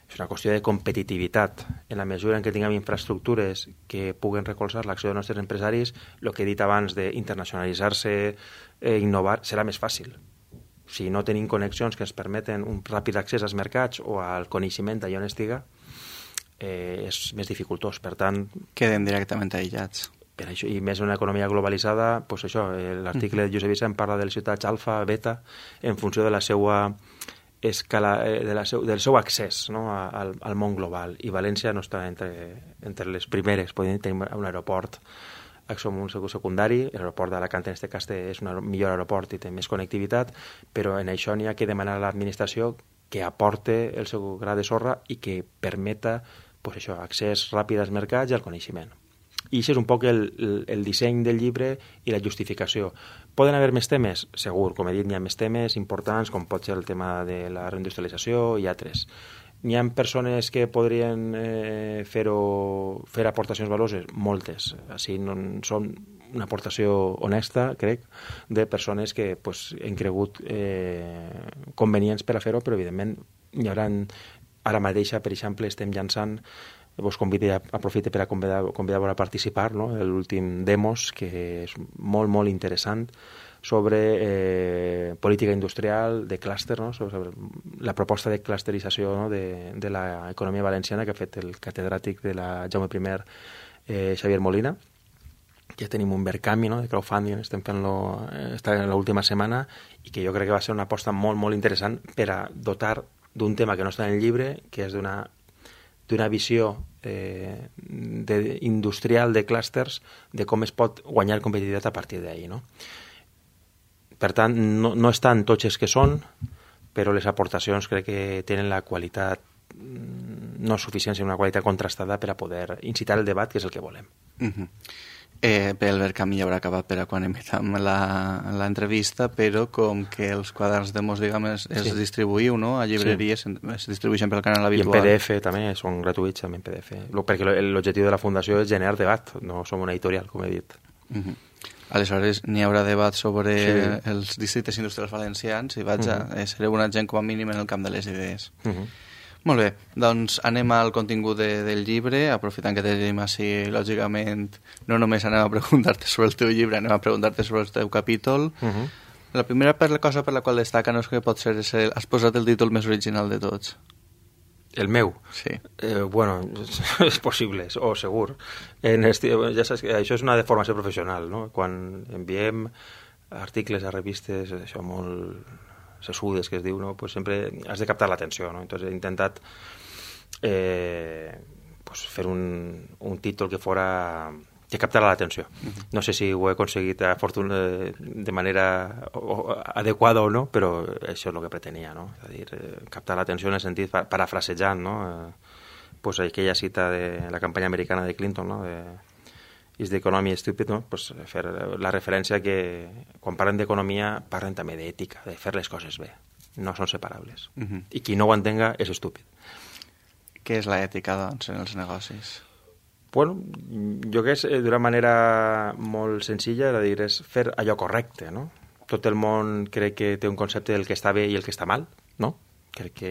és una qüestió de competitivitat. En la mesura en què tinguem infraestructures que puguen recolzar l'acció dels nostres empresaris, el que he dit abans d'internacionalitzar-se, eh, innovar, serà més fàcil. Si no tenim connexions que ens permeten un ràpid accés als mercats o al coneixement allà on estiga, eh, és més dificultós. Per tant... Queden directament aïllats. Per això, i més una economia globalitzada, pues això, l'article de Josep Vicent parla de les ciutats alfa, beta, en funció de la seva escala, de la seu, del seu accés, no?, al, al món global. I València no està entre, entre les primeres. Podem tenir un aeroport, som un secundari, l'aeroport d'Alacant en aquest cas és un millor aeroport i té més connectivitat, però en això n'hi ha que demanar a l'administració que aporte el seu gra de sorra i que permeta pues això, accés ràpid als mercats i al coneixement. I això és un poc el, el, el disseny del llibre i la justificació. Poden haver més temes? Segur, com he dit, n'hi ha més temes importants, com pot ser el tema de la reindustrialització i altres. N'hi ha persones que podrien eh, fer-ho, fer aportacions valuoses? Moltes. Així no, són una aportació honesta, crec, de persones que pues, han cregut eh, convenients per a fer-ho, però evidentment hi haurà... Ara mateix, per exemple, estem llançant, vos convido, aprofite per a convidar-vos convidar a participar, no? L'últim Demos, que és molt, molt interessant, sobre eh, política industrial, de clúster, no? Sobre la proposta de clusterització, no? de, de l'economia valenciana que ha fet el catedràtic de la Jaume I, eh, Xavier Molina. Ja tenim un Verkami, no? De crowdfunding, estem fent-lo, està en l'última setmana, i que jo crec que va ser una aposta molt, molt interessant per a dotar d'un tema que no està en el llibre, que és d'una d'una visió eh, de, industrial de clústers, de com es pot guanyar competitivitat a partir d'ahir, no? Per tant, no, no estan tots els que són, però les aportacions crec que tenen la qualitat no suficient, sinó una qualitat contrastada per a poder incitar el debat, que és el que volem. Uh-huh. Eh, bé, el Verkami ja haurà acabat per a quan emetam l'entrevista, però com que els quaderns Demos, diguem, es, es sí. distribuïu, no?, a llibreries, sí. es distribueixen pel canal habitual. I en P D F també, són gratuïts també en P D F, perquè l'objectiu de la Fundació és generar debat, no som una editorial, com he dit. Uh-huh. Aleshores, n'hi haurà debat sobre sí. els districtes industrials valencians i vaig uh-huh. a ser una gent com a mínim en el camp de les idees. Uh-huh. Molt bé, doncs anem al contingut de, del llibre, aprofitant que tenim així, lògicament, no només anem a preguntar-te sobre el teu llibre, anem a preguntar-te sobre el teu capítol. Uh-huh. La primera per la cosa per la qual destaca no és que pot ser, és el, has posat el títol més original de tots. El meu? Sí. Eh, bueno, és possible, o segur. En esti... ja saps que això és una deformació professional, no? Quan enviem articles a revistes, això molt sessudes que es diu, no? Pues sempre has de captar l'atenció, no? Entonces he intentat eh, pues fer un, un títol que fora que captara l'atenció. Uh-huh. No sé si ho he aconseguit a fortuna, de manera adequada o no, però això és el que pretenia, no? És a dir, captar l'atenció en el sentit parafrasejant, no? Eh, pues aquella cita de la campanya americana de Clinton, no? De Is the economy stupid, no? Pues fer la referència que quan parlen d'economia parlen també d'ètica, de fer les coses bé. No són separables. Uh-huh. I qui no ho entenga és estúpid. Què és l'ètica, doncs, en els negocis? Bueno, jo crec que d'una manera molt senzilla, és a dir, és fer allò correcte, no? Tot el món crec que té un concepte del que està bé i el que està mal, no? Crec que...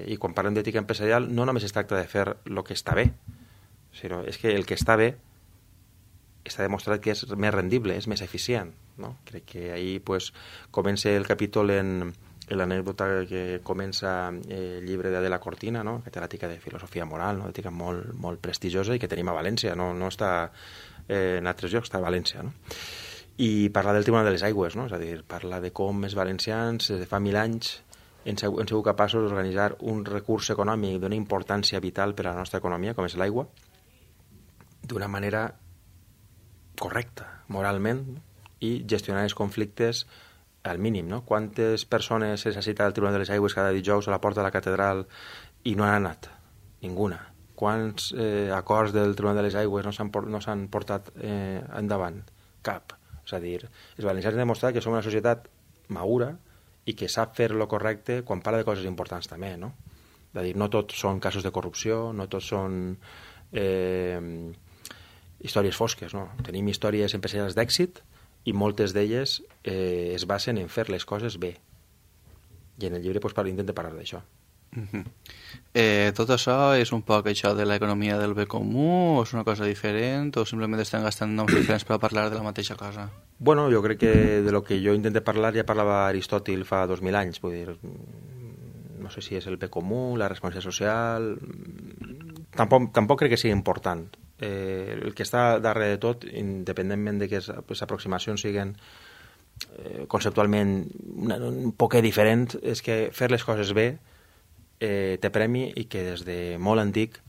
I quan parlem d'ètica empresarial no només es tracta de fer el que està bé, sinó és que el que està bé està demostrat que és més rendible, és més eficient, no? Crec que ahir pues, comença el capítol en... l'anècdota que comença el llibre d'Adela Cortina, no? Catedràtica de filosofia moral, no? Ètica molt, molt prestigiosa i que tenim a València, no, no està eh, en altres llocs, està a València, no? I parla del Tribunal de les Aigües, no? És a dir, parla de com els valencians des de fa mil anys han sigut capaços d'organitzar un recurs econòmic d'una importància vital per a la nostra economia, com és l'aigua, d'una manera correcta, moralment, i gestionar els conflictes al mínim, no? Quantes persones se cita al Tribunal de les Aigües cada dijous a la porta de la catedral i no han anat? Ninguna. Quants eh, acords del Tribunal de les Aigües no s'han no s'han portat eh, endavant? Cap. És a dir, els valencians han demostrat que som una societat madura i que sap fer lo correcte quan parla de coses importants també, no? És a dir, no tots són casos de corrupció, no tots són eh, històries fosques, no? Tenim històries empresarials d'èxit i moltes d'elles eh, es basen en fer les coses bé. I en el llibre pues, intenta parlar d'això. Uh-huh. eh, tot això és un poc això de l'economia del bé comú o és una cosa diferent o simplement estem gastant noms diferents per parlar de la mateixa cosa? Bueno, jo crec que de lo que jo intento parlar ja parlava Aristòtil fa dos mil anys, vull dir, no sé si és el bé comú, la responsabilitat social, tampoc, tampoc crec que sigui important. Eh, el que està darrere de tot, independentment de que les aproximacions siguin eh, conceptualment una, un poquet diferent, és que fer les coses bé eh, té premi i que des de molt antic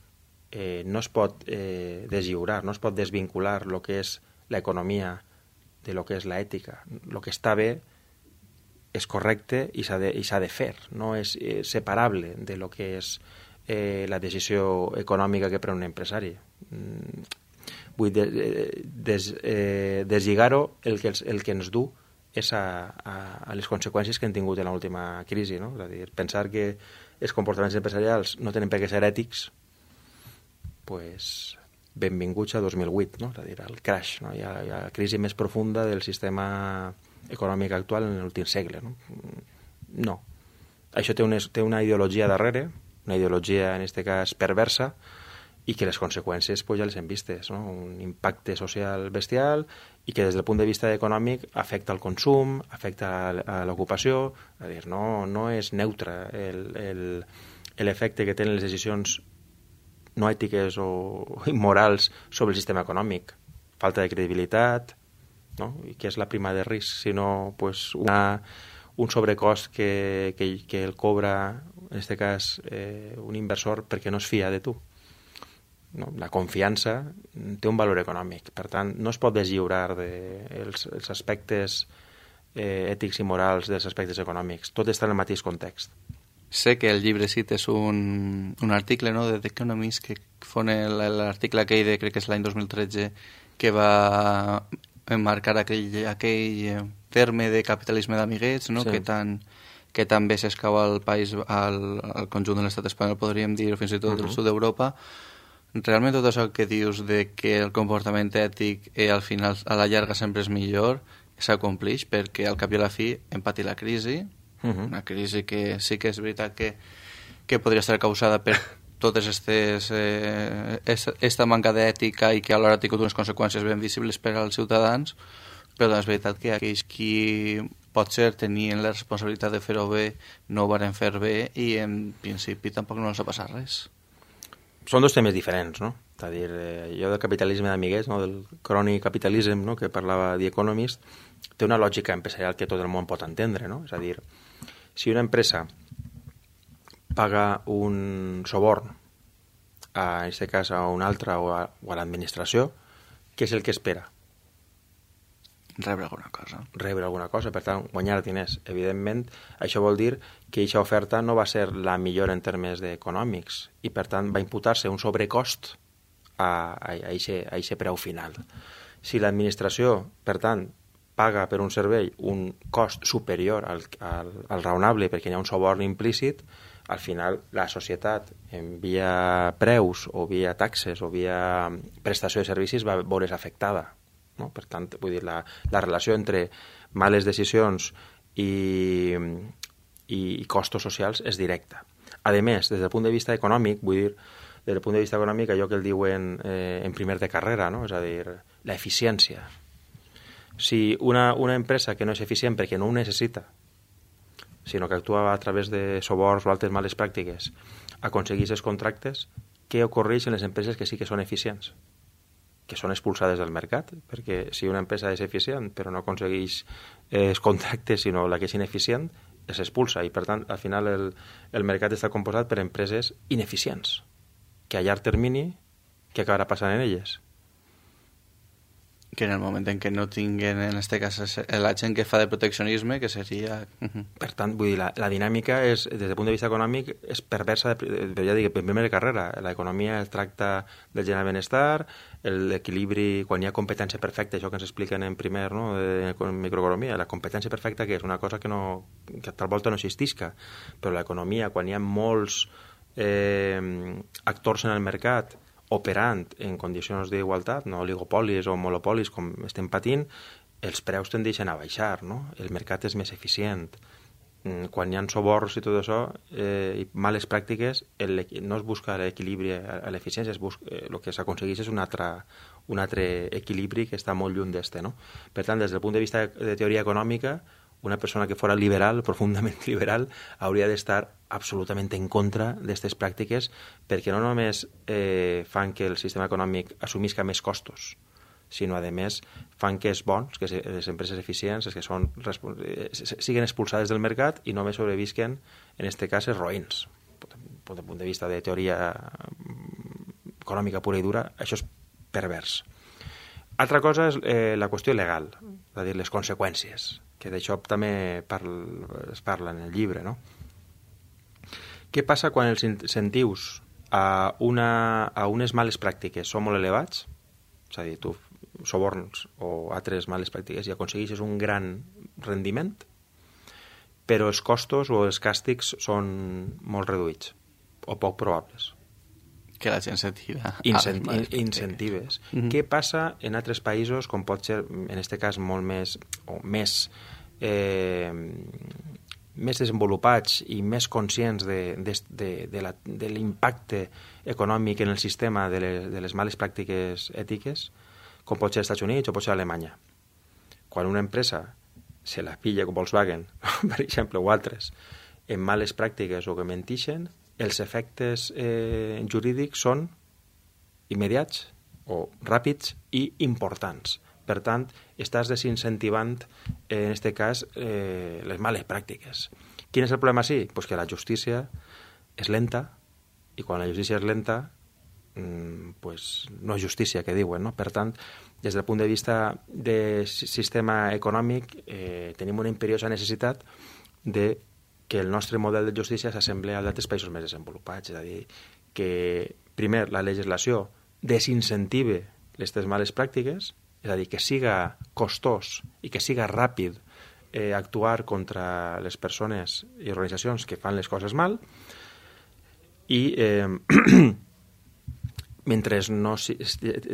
eh, no es pot eh, deslliurar, no es pot desvincular el que és l'economia de lo que és l'ètica. El que està bé és correcte i s'ha de, i s'ha de fer, no és eh, separable de lo que és eh, la decisió econòmica que pren un empresari. Mm, vull de, des, eh, deslligar-ho el que, el que ens du és a, a, a les conseqüències que han tingut en l'última crisi, no? És a dir, pensar que els comportaments empresarials no tenen per què ser ètics, pues, benvinguts a dos mil vuit, no? És a dir, el crash, no? Hi ha, hi ha la crisi més profunda del sistema econòmic actual en l'últim segle, no? No. Això té una, té una ideologia darrere, una ideologia, en aquest cas, perversa, i que les conseqüències pues, ja les hem vistes, no? Un impacte social bestial i que des del punt de vista econòmic afecta el consum, afecta a l'ocupació, és a dir, no, no és neutre l'efecte que tenen les decisions no ètiques o immorals sobre el sistema econòmic. Falta de credibilitat, no? I que és la prima de risc, sinó pues, una, un sobrecost que, que, que el cobra, en aquest cas, eh, un inversor perquè no es fia de tu. No? La confiança té un valor econòmic, per tant no es pot deslliurar de els, els aspectes eh, ètics i morals dels aspectes econòmics, tot està en el mateix context. Sé que el llibre cites un, un article, no?, de The Economist, que fon l'article aquell de, crec que és l'any dos mil tretze, que va emmarcar aquell, aquell terme de capitalisme d'amiguets, no?, sí. que tan que també s'escau al país, al, al conjunt de l'estat espanyol, podríem dir, o fins i tot uh-huh. del sud d'Europa. Realment tot això que dius de que el comportament ètic eh, al final, a la llarga sempre és millor, s'acomplix perquè al cap i a la fi hem patit la crisi, uh-huh. una crisi que sí que és veritat que, que podria estar causada per totes aquestes eh, esta manca d'ètica i que alhora ha tingut unes conseqüències ben visibles per als ciutadans, però és veritat que aquells qui potser tenien la responsabilitat de fer-ho bé, no ho varen fer bé i en principi tampoc no els ha passat res. Són dos temes diferents, no? És a dir, eh, jo del capitalisme d'amiguets, no? Del crony capitalism, no? Que parlava The Economist, té una lògica empresarial que tot el món pot entendre, no? És a dir, si una empresa paga un soborn, a, en aquest cas a una altra o a, o a l'administració, què és el que espera? Rebre alguna cosa. Rebre alguna cosa, per tant, guanyar diners. Evidentment, això vol dir que aquesta oferta no va ser la millor en termes econòmics i, per tant, va imputar-se un sobrecost a aquest preu final. Si l'administració, per tant, paga per un servei un cost superior al, al, al raonable perquè hi ha un soborn implícit, al final la societat, en via preus o via taxes o via prestació de servicis, va veure's afectada. No? Per tant, vull dir, la, la relació entre males decisions i, i costos socials és directa. A més, des del punt de vista econòmic, vull dir, des del punt de vista econòmic, allò que el diuen eh, en primer de carrera, no? És a dir, la eficiència. Si una, una empresa que no és eficient perquè no ho necessita, sinó que actua a través de soborns o altres males pràctiques, aconsegueix els contractes, què ocorreix en les empreses que sí que són eficients? Que són expulsades del mercat, perquè si una empresa és eficient però no aconsegueix eh, els contractes, sinó la que és ineficient, es expulsa i, per tant, al final el, el mercat està composat per empreses ineficients, que a llarg termini, què acabarà passant en elles? Que en el moment en què no tinguin, en aquest cas, la gent que fa de proteccionisme, que seria... Per tant, vull dir, la, la dinàmica és, des del punt de vista econòmic, és perversa, de, de, ja dic, en primera carrera. L'economia es tracta del generar benestar, l'equilibri, quan hi ha competència perfecta, això que ens expliquen en primer, no?, de microeconomia, la competència perfecta que és una cosa que, no, que tal volta no existisca, però l'economia, quan hi ha molts eh, actors en el mercat operant en condicions d'igualtat, no oligopolis o monopolis com estem patint, els preus tendeixen a baixar, no? El mercat és més eficient. Quan hi ha soborns i tot això, eh, i males pràctiques, el, no es busca l'equilibri a l'eficiència, eh, el que s'aconsegueix és un altre, un altre equilibri que està molt lluny d'este, no? Per tant, des del punt de vista de teoria econòmica, una persona que fora liberal, profundament liberal, hauria d'estar absolutament en contra d'aquestes pràctiques perquè no només eh, fan que el sistema econòmic assumisca més costos, sinó, a més, fan que és bons, que les empreses eficients, que són, siguin expulsades del mercat i només sobrevisquen, en aquest cas, els roïns. Des del punt de vista de teoria econòmica pura i dura, això és pervers. Altra cosa és eh, la qüestió legal, és a dir, les conseqüències, que d'això també parla, es parla en el llibre, no? Què passa quan els incentius a, una, a unes males pràctiques són molt elevats? És a dir, tu soborns o altres males pràctiques i aconsegueixes un gran rendiment, però els costos o els càstigs són molt reduïts o poc probables. Que la gent se tira. Incent incentives. Mm-hmm. Què passa en altres països, com pot ser, en aquest cas, molt més, o més, eh, més desenvolupats i més conscients de, de, de, de, la, de l'impacte econòmic en el sistema de les, de les males pràctiques ètiques, com pot ser als Estats Units o pot ser a Alemanya. Quan una empresa se la pilla com Volkswagen, per exemple, o altres, en males pràctiques o que mentixen, els efectes eh, jurídics són immediats o ràpids i importants. Per tant, estàs desincentivant, eh, en aquest cas, eh, les males pràctiques. Quin és el problema sí? Pues que la justícia és lenta i quan la justícia és lenta, mm, pues no és justícia, que diuen, no? Per tant, des del punt de vista del sistema econòmic, eh, tenim una imperiosa necessitat de que el nostre model de justícia s'assembla al d'altres països més desenvolupats. És a dir, que, primer, la legislació desincentive aquestes males pràctiques, és a dir, que siga costós i que siga ràpid eh, actuar contra les persones i organitzacions que fan les coses mal, i eh, mentre, no,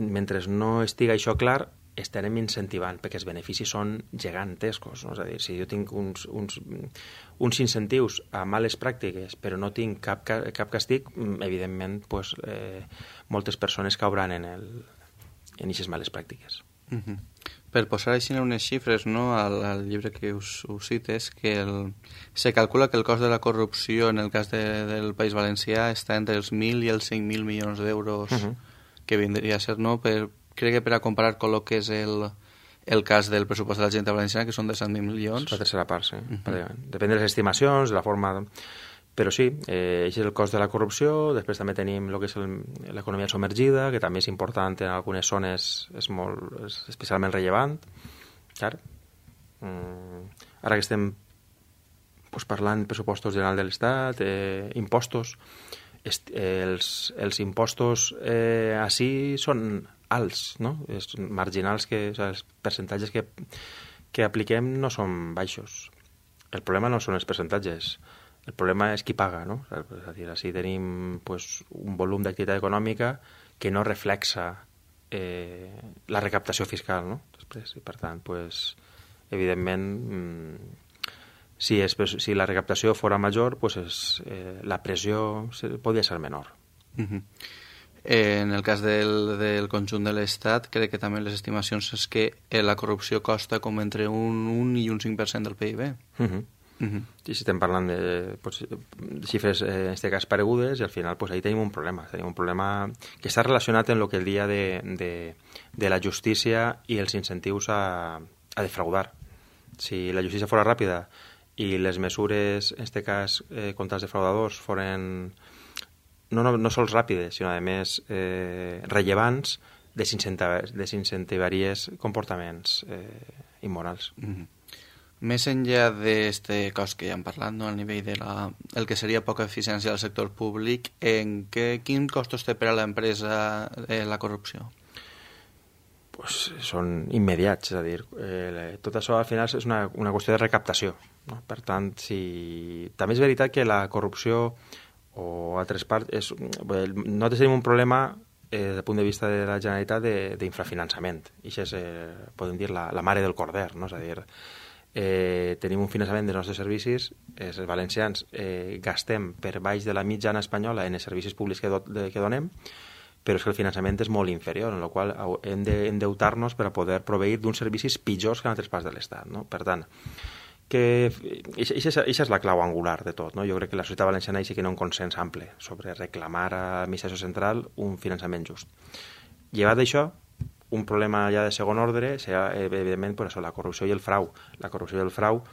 mentre no estiga això clar, estarem incentivant, perquè els beneficis són gegantescos. No? És a dir, si jo tinc uns, uns, uns incentius a males pràctiques, però no tinc cap, cap castig, evidentment, pues, eh, moltes persones cauran en, el, en aquestes males pràctiques. Mm-hmm. Per posar així unes xifres, no, al, al llibre que us, us cites, que el, se calcula que el cost de la corrupció en el cas de, del País Valencià està entre els mil i els cinc mil milions d'euros, uh -huh. que vindria a ser, no? Per, crec que per a comparar con el que és el, el cas del pressupost de la Generalitat Valenciana, que són de cent mil milions. La tercera part, sí. Uh -huh. Depèn de les estimacions, de la forma... Però sí, eh, això és el cost de la corrupció. Després també tenim el que és l'economia submergida, que també és important en algunes zones, és, molt, és especialment rellevant. Clar. Mm, ara que estem pues, parlant de pressupostos generals de l'Estat, eh, impostos, est, eh, els, els impostos eh, així són alts, no? És marginals, que, o sigui, els percentatges que, que apliquem no són baixos. El problema no són els percentatges. El problema és qui paga, no? És a dir, així tenim pues, un volum d'activitat econòmica que no reflexa eh, la recaptació fiscal, no? Després, i per tant, pues, evidentment, mmm, si, és, si la recaptació fora major, pues és, eh, la pressió podria ser menor. Uh-huh. eh, en el cas del, del conjunt de l'Estat, crec que també les estimacions és que eh, la corrupció costa com entre un un i un cinc per cent del P I B. Uh-huh. Uh-huh. I si estem parlant de, pues, de xifres, eh, en aquest cas, paregudes, i al final pues, ahí tenim un problema. Tenim un problema que està relacionat amb el que el dia de, de, de la justícia i els incentius a, a defraudar. Si la justícia fora ràpida i les mesures, en aquest cas, eh, contra els defraudadors, foren no, no, no sols ràpides, sinó, a més, eh, rellevants, desincentivaries comportaments eh, immorals. Uh-huh. Més enllà d'aquest cost que ja hem parlat, no, al nivell de la, el que seria poca eficiència del sector públic, en què, quin costos té per a l'empresa eh, la corrupció? Pues són immediats, és a dir, eh, tot això al final és una, una qüestió de recaptació, no? Per tant, si... també és veritat que la corrupció o altres parts, és... nosaltres tenim un problema eh, des del punt de vista de la Generalitat d'infrafinançament, i això és, eh, podem dir, la, la mare del corder, no? És a dir, eh, tenim un finançament dels nostres servicis, eh, els valencians eh, gastem per baix de la mitjana espanyola en els servicis públics que, do, de, que donem, però és que el finançament és molt inferior, en la qual hem d'endeutar-nos per a poder proveir d'uns servicis pitjors que en altres parts de l'Estat, no? Per tant, que això és la clau angular de tot, no? Jo crec que la societat valenciana sí que no ha un consens ample sobre reclamar a l'administració central un finançament just. Llevat d'això, un problema ja de segon ordre serà, evidentment, pues això, la corrupció i el frau. La corrupció i el frau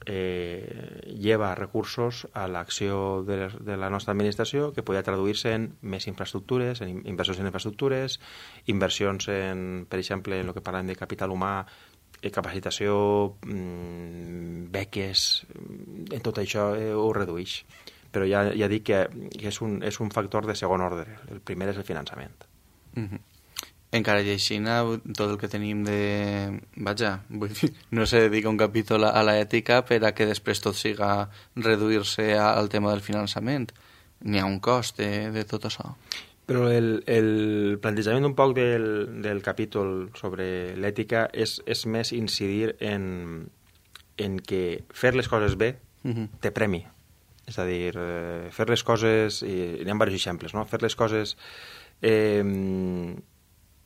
eh, lleva recursos a l'acció de, de la nostra administració que podria traduir-se en més infraestructures, en inversions en infraestructures, inversions en, per exemple, en el que parlem de capital humà, capacitació, mmm, beques, en tot això eh, ho redueix. Però ja, ja dic que, que és, un, és un factor de segon ordre. El primer és el finançament. Mm-hmm. Encara i així, tot el que tenim de... Vaja, vull dir, no se dedica un capítol a l'ètica per a que després tot siga reduir-se al tema del finançament. N'hi ha un cost de, de tot això. Però el, el plantejament un poc del, del capítol sobre l'ètica és, és més incidir en, en que fer les coses bé uh-huh. té premi. És a dir, eh, fer les coses... I hi ha diversos exemples, no? Fer les coses... Eh,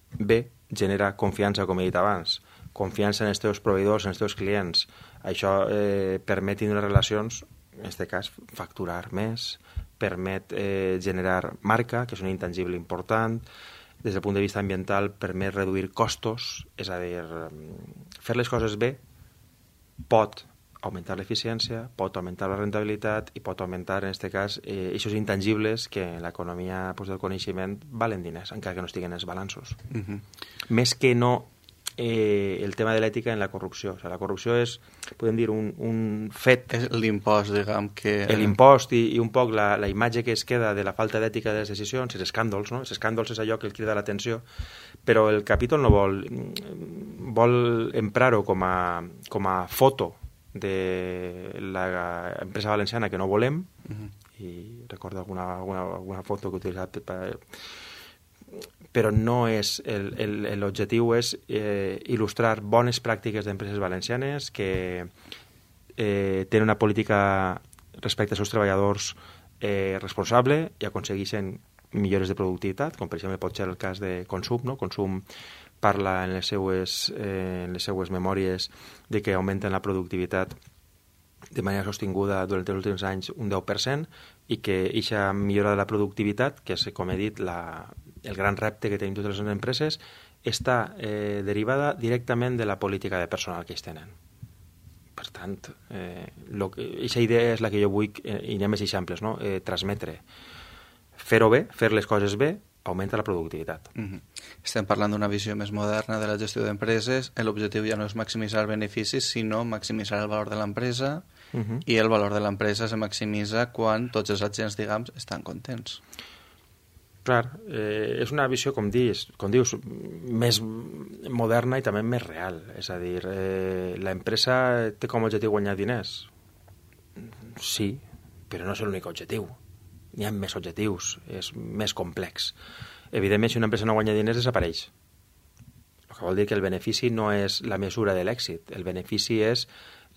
bé, genera confiança, com he dit abans, confiança en els teus proveïdors, en els teus clients. Això eh, permet tenir relacions, en aquest cas, facturar més, permet eh, generar marca, que és un intangible important, des del punt de vista ambiental permet reduir costos, és a dir, fer les coses bé pot augmentar l'eficiència, pot augmentar la rentabilitat i pot augmentar, en aquest cas, eh, aquests intangibles que en l'economia pues, del coneixement valen diners, encara que no estiguen els balanços. Uh-huh. Més que no eh, el tema de l'ètica en la corrupció. O sigui, la corrupció és, podem dir, un, un fet... És l'impost, diguem, que... L'impost i, i un poc la, la imatge que es queda de la falta d'ètica de les decisions, els escàndols, no? Els escàndols és allò que el crida l'atenció, però el capítol no vol... vol emprar-ho com a, com a foto de l'empresa valenciana que no volem, uh-huh. i recordo alguna, alguna, alguna foto que he utilitzat per, però no és l'objectiu és eh, il·lustrar bones pràctiques d'empreses valencianes que eh, tenen una política respecte als seus treballadors eh, responsable i aconsegueixen millores de productivitat, com per exemple pot ser el cas de consum, no? Consum parla en les seues, eh, en les seues memòries de que augmenten la productivitat de manera sostinguda durant els últims anys un deu per cent i que aquesta millora de la productivitat, que és, com he dit, la, el gran repte que tenim totes les empreses, està eh, derivada directament de la política de personal que ells tenen. Per tant, eh, aquesta idea és la que jo vull, eh, i anem més exemples, no? eh, transmetre. Fer-ho bé, fer les coses bé, augmenta la productivitat. Mm-hmm. Estem parlant d'una visió més moderna de la gestió d'empreses. L'objectiu ja no és maximitzar beneficis, sinó maximitzar el valor de l'empresa, mm-hmm. i el valor de l'empresa se maximitza quan tots els agents, diguem, estan contents. Clar, eh, és una visió, com dius, com dius, més moderna i també més real. És a dir, eh, l'empresa té com a objectiu guanyar diners? Sí, però no és l'únic objectiu. N'hi ha més objectius, és més complex. Evidentment, si una empresa no guanya diners, desapareix. El que vol dir que el benefici no és la mesura de l'èxit, el benefici és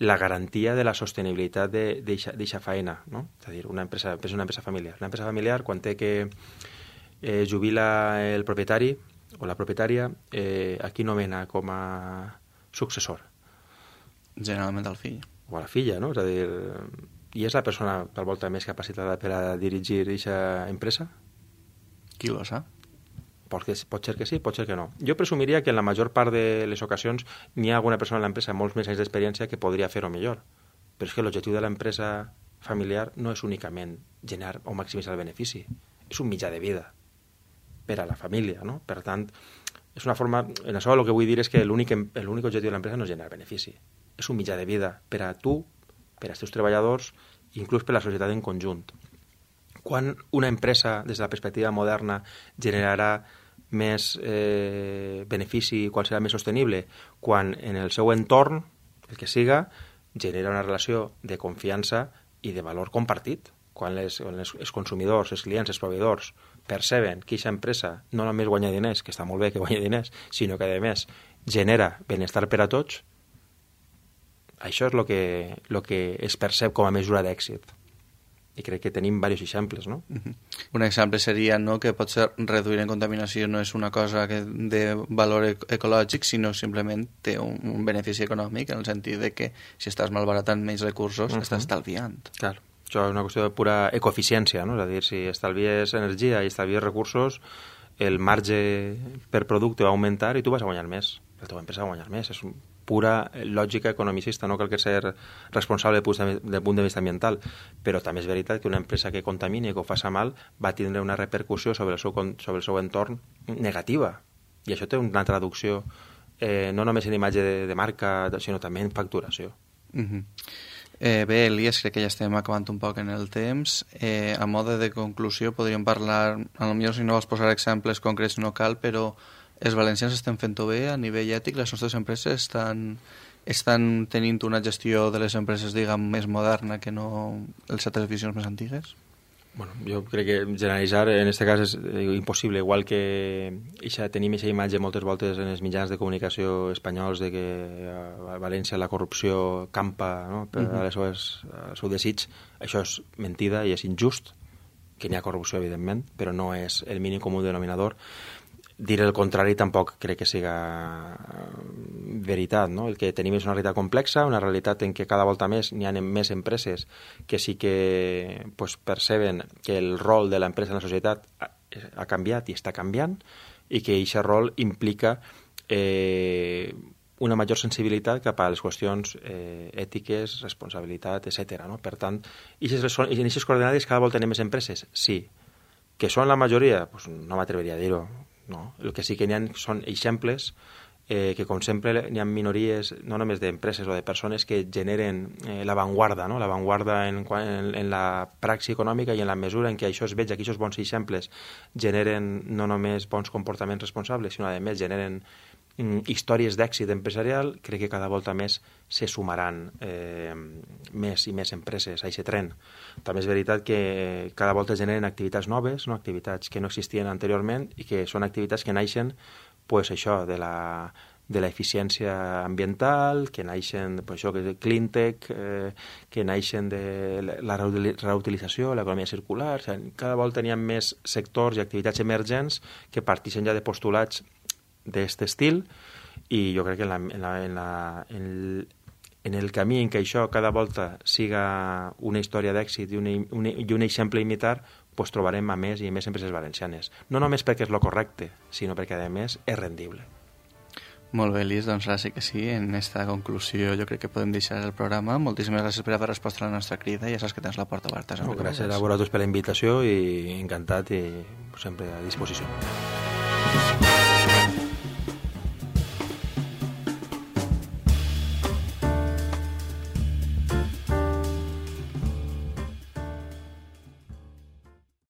la garantia de la sostenibilitat d'aquesta feina, no? És a dir, una empresa, és una empresa familiar. Una empresa familiar, quan té que eh, jubila el propietari o la propietària, eh, aquí nomena com a successor. Generalment el fill. O a la filla, no? És a dir, i és la persona, per volta, més capacitada per a dirigir aquesta empresa? Qui ho sap? Pot, que, pot ser que sí, pot ser que no. Jo presumiria que en la major part de les ocasions n'hi ha alguna persona en l'empresa amb molts més anys d'experiència que podria fer-ho millor. Però és que l'objectiu de l'empresa familiar no és únicament generar o maximitzar el benefici. És un mitjà de vida per a la família, no? Per tant, és una forma... En això el que vull dir és que l'únic objectiu de l'empresa no és generar benefici. És un mitjà de vida per a tu, per als teus treballadors, i inclús per a la societat en conjunt. Quan una empresa, des de la perspectiva moderna, generarà més eh, benefici, quan serà més sostenible? Quan en el seu entorn, el que siga, genera una relació de confiança i de valor compartit. Quan les, les, els consumidors, els clients, els proveïdors perceben que aquesta empresa no només guanya diners, que està molt bé que guanya diners, sinó que, a més, genera benestar per a tots, això és el que, lo que es percep com a mesura d'èxit. I crec que tenim diversos exemples, no? Uh-huh. Un exemple seria, no, que potser reduir en contaminació no és una cosa que de valor ecològic, sinó simplement té un, un benefici econòmic, en el sentit de que si estàs malbaratant menys recursos, uh-huh. estàs estalviant. Clar, això és una qüestió de pura ecoeficiència, no? És a dir, si estalvies energia i estalvies recursos, el marge per producte va augmentar i tu vas a guanyar més. La teva empresa va a guanyar més. És un pura lògica economicista, no cal que ser responsable del punt de vista ambiental, però també és veritat que una empresa que contamini i que ho faça mal va tindre una repercussió sobre el seu, sobre el seu entorn negativa, i això té una traducció eh, no només en imatge de, de marca, sinó també en facturació. Uh-huh. Eh, bé, Elias, crec que ja estem acabant un poc en el temps. Eh, a mode de conclusió podríem parlar, potser si no vols posar exemples concrets no cal, però els valencians estem fent-ho bé a nivell ètic, les nostres empreses estan, estan tenint una gestió de les empreses, diguem, més moderna que no les altres visions més antigues? Bueno, jo crec que generalitzar en aquest cas és impossible, igual que ixa, tenim aquesta imatge moltes voltes en els mitjans de comunicació espanyols de que a València la corrupció campa, no? Per uh-huh. al seu desig. Això és mentida i és injust, que n'hi ha corrupció, evidentment, però no és el mínim comú denominador. Dir el contrari tampoc crec que siga veritat, no? El que tenim és una realitat complexa, una realitat en què cada volta més n'hi ha més empreses que sí que pues, perceben que el rol de l'empresa en la societat ha, ha canviat i està canviant, i que aquest rol implica eh, una major sensibilitat cap a les qüestions eh, ètiques, responsabilitat, etcètera. No? Per tant, i en aquestes coordenades cada volta n'hi ha més empreses? Sí. Que són la majoria? Pues no m'atreveria a dir-ho. No. El que sí que n'hi ha són exemples eh, que, com sempre, n'hi ha minories, no només d'empreses o de persones que generen eh, l'avantguarda, no? L'avantguarda en, en, en la praxi econòmica i en la mesura en què això es veig, que aquests bons exemples generen no només bons comportaments responsables, sinó, a més, generen mm, històries d'èxit empresarial. Crec que cada volta més se sumaran eh, més i més empreses a aquest tren. També és veritat que cada volta generen activitats noves, no? Activitats que no existien anteriorment i que són activitats que naixen pues, això, de la, de l'eficiència ambiental, que naixen pues, això, que clean tech, eh, que naixen de la reutilització, l'economia circular. O sigui, cada volta hi ha més sectors i activitats emergents que partixen ja de postulats d'aquest estil, i jo crec que en, la, en, la, en, la, en, el, en el camí en què això cada volta siga una història d'èxit i, una, una, i un exemple a imitar, pues trobarem a més i a més empreses valencianes. No només perquè és lo correcte, sinó perquè a més és rendible. Molt bé, Elis, doncs ara sí que sí, en aquesta conclusió jo crec que podem deixar el programa. Moltíssimes gràcies per haver respost a la nostra crida i ja saps que tens la porta oberta. No, gràcies a vosaltres per la invitació i encantat i sempre a disposició.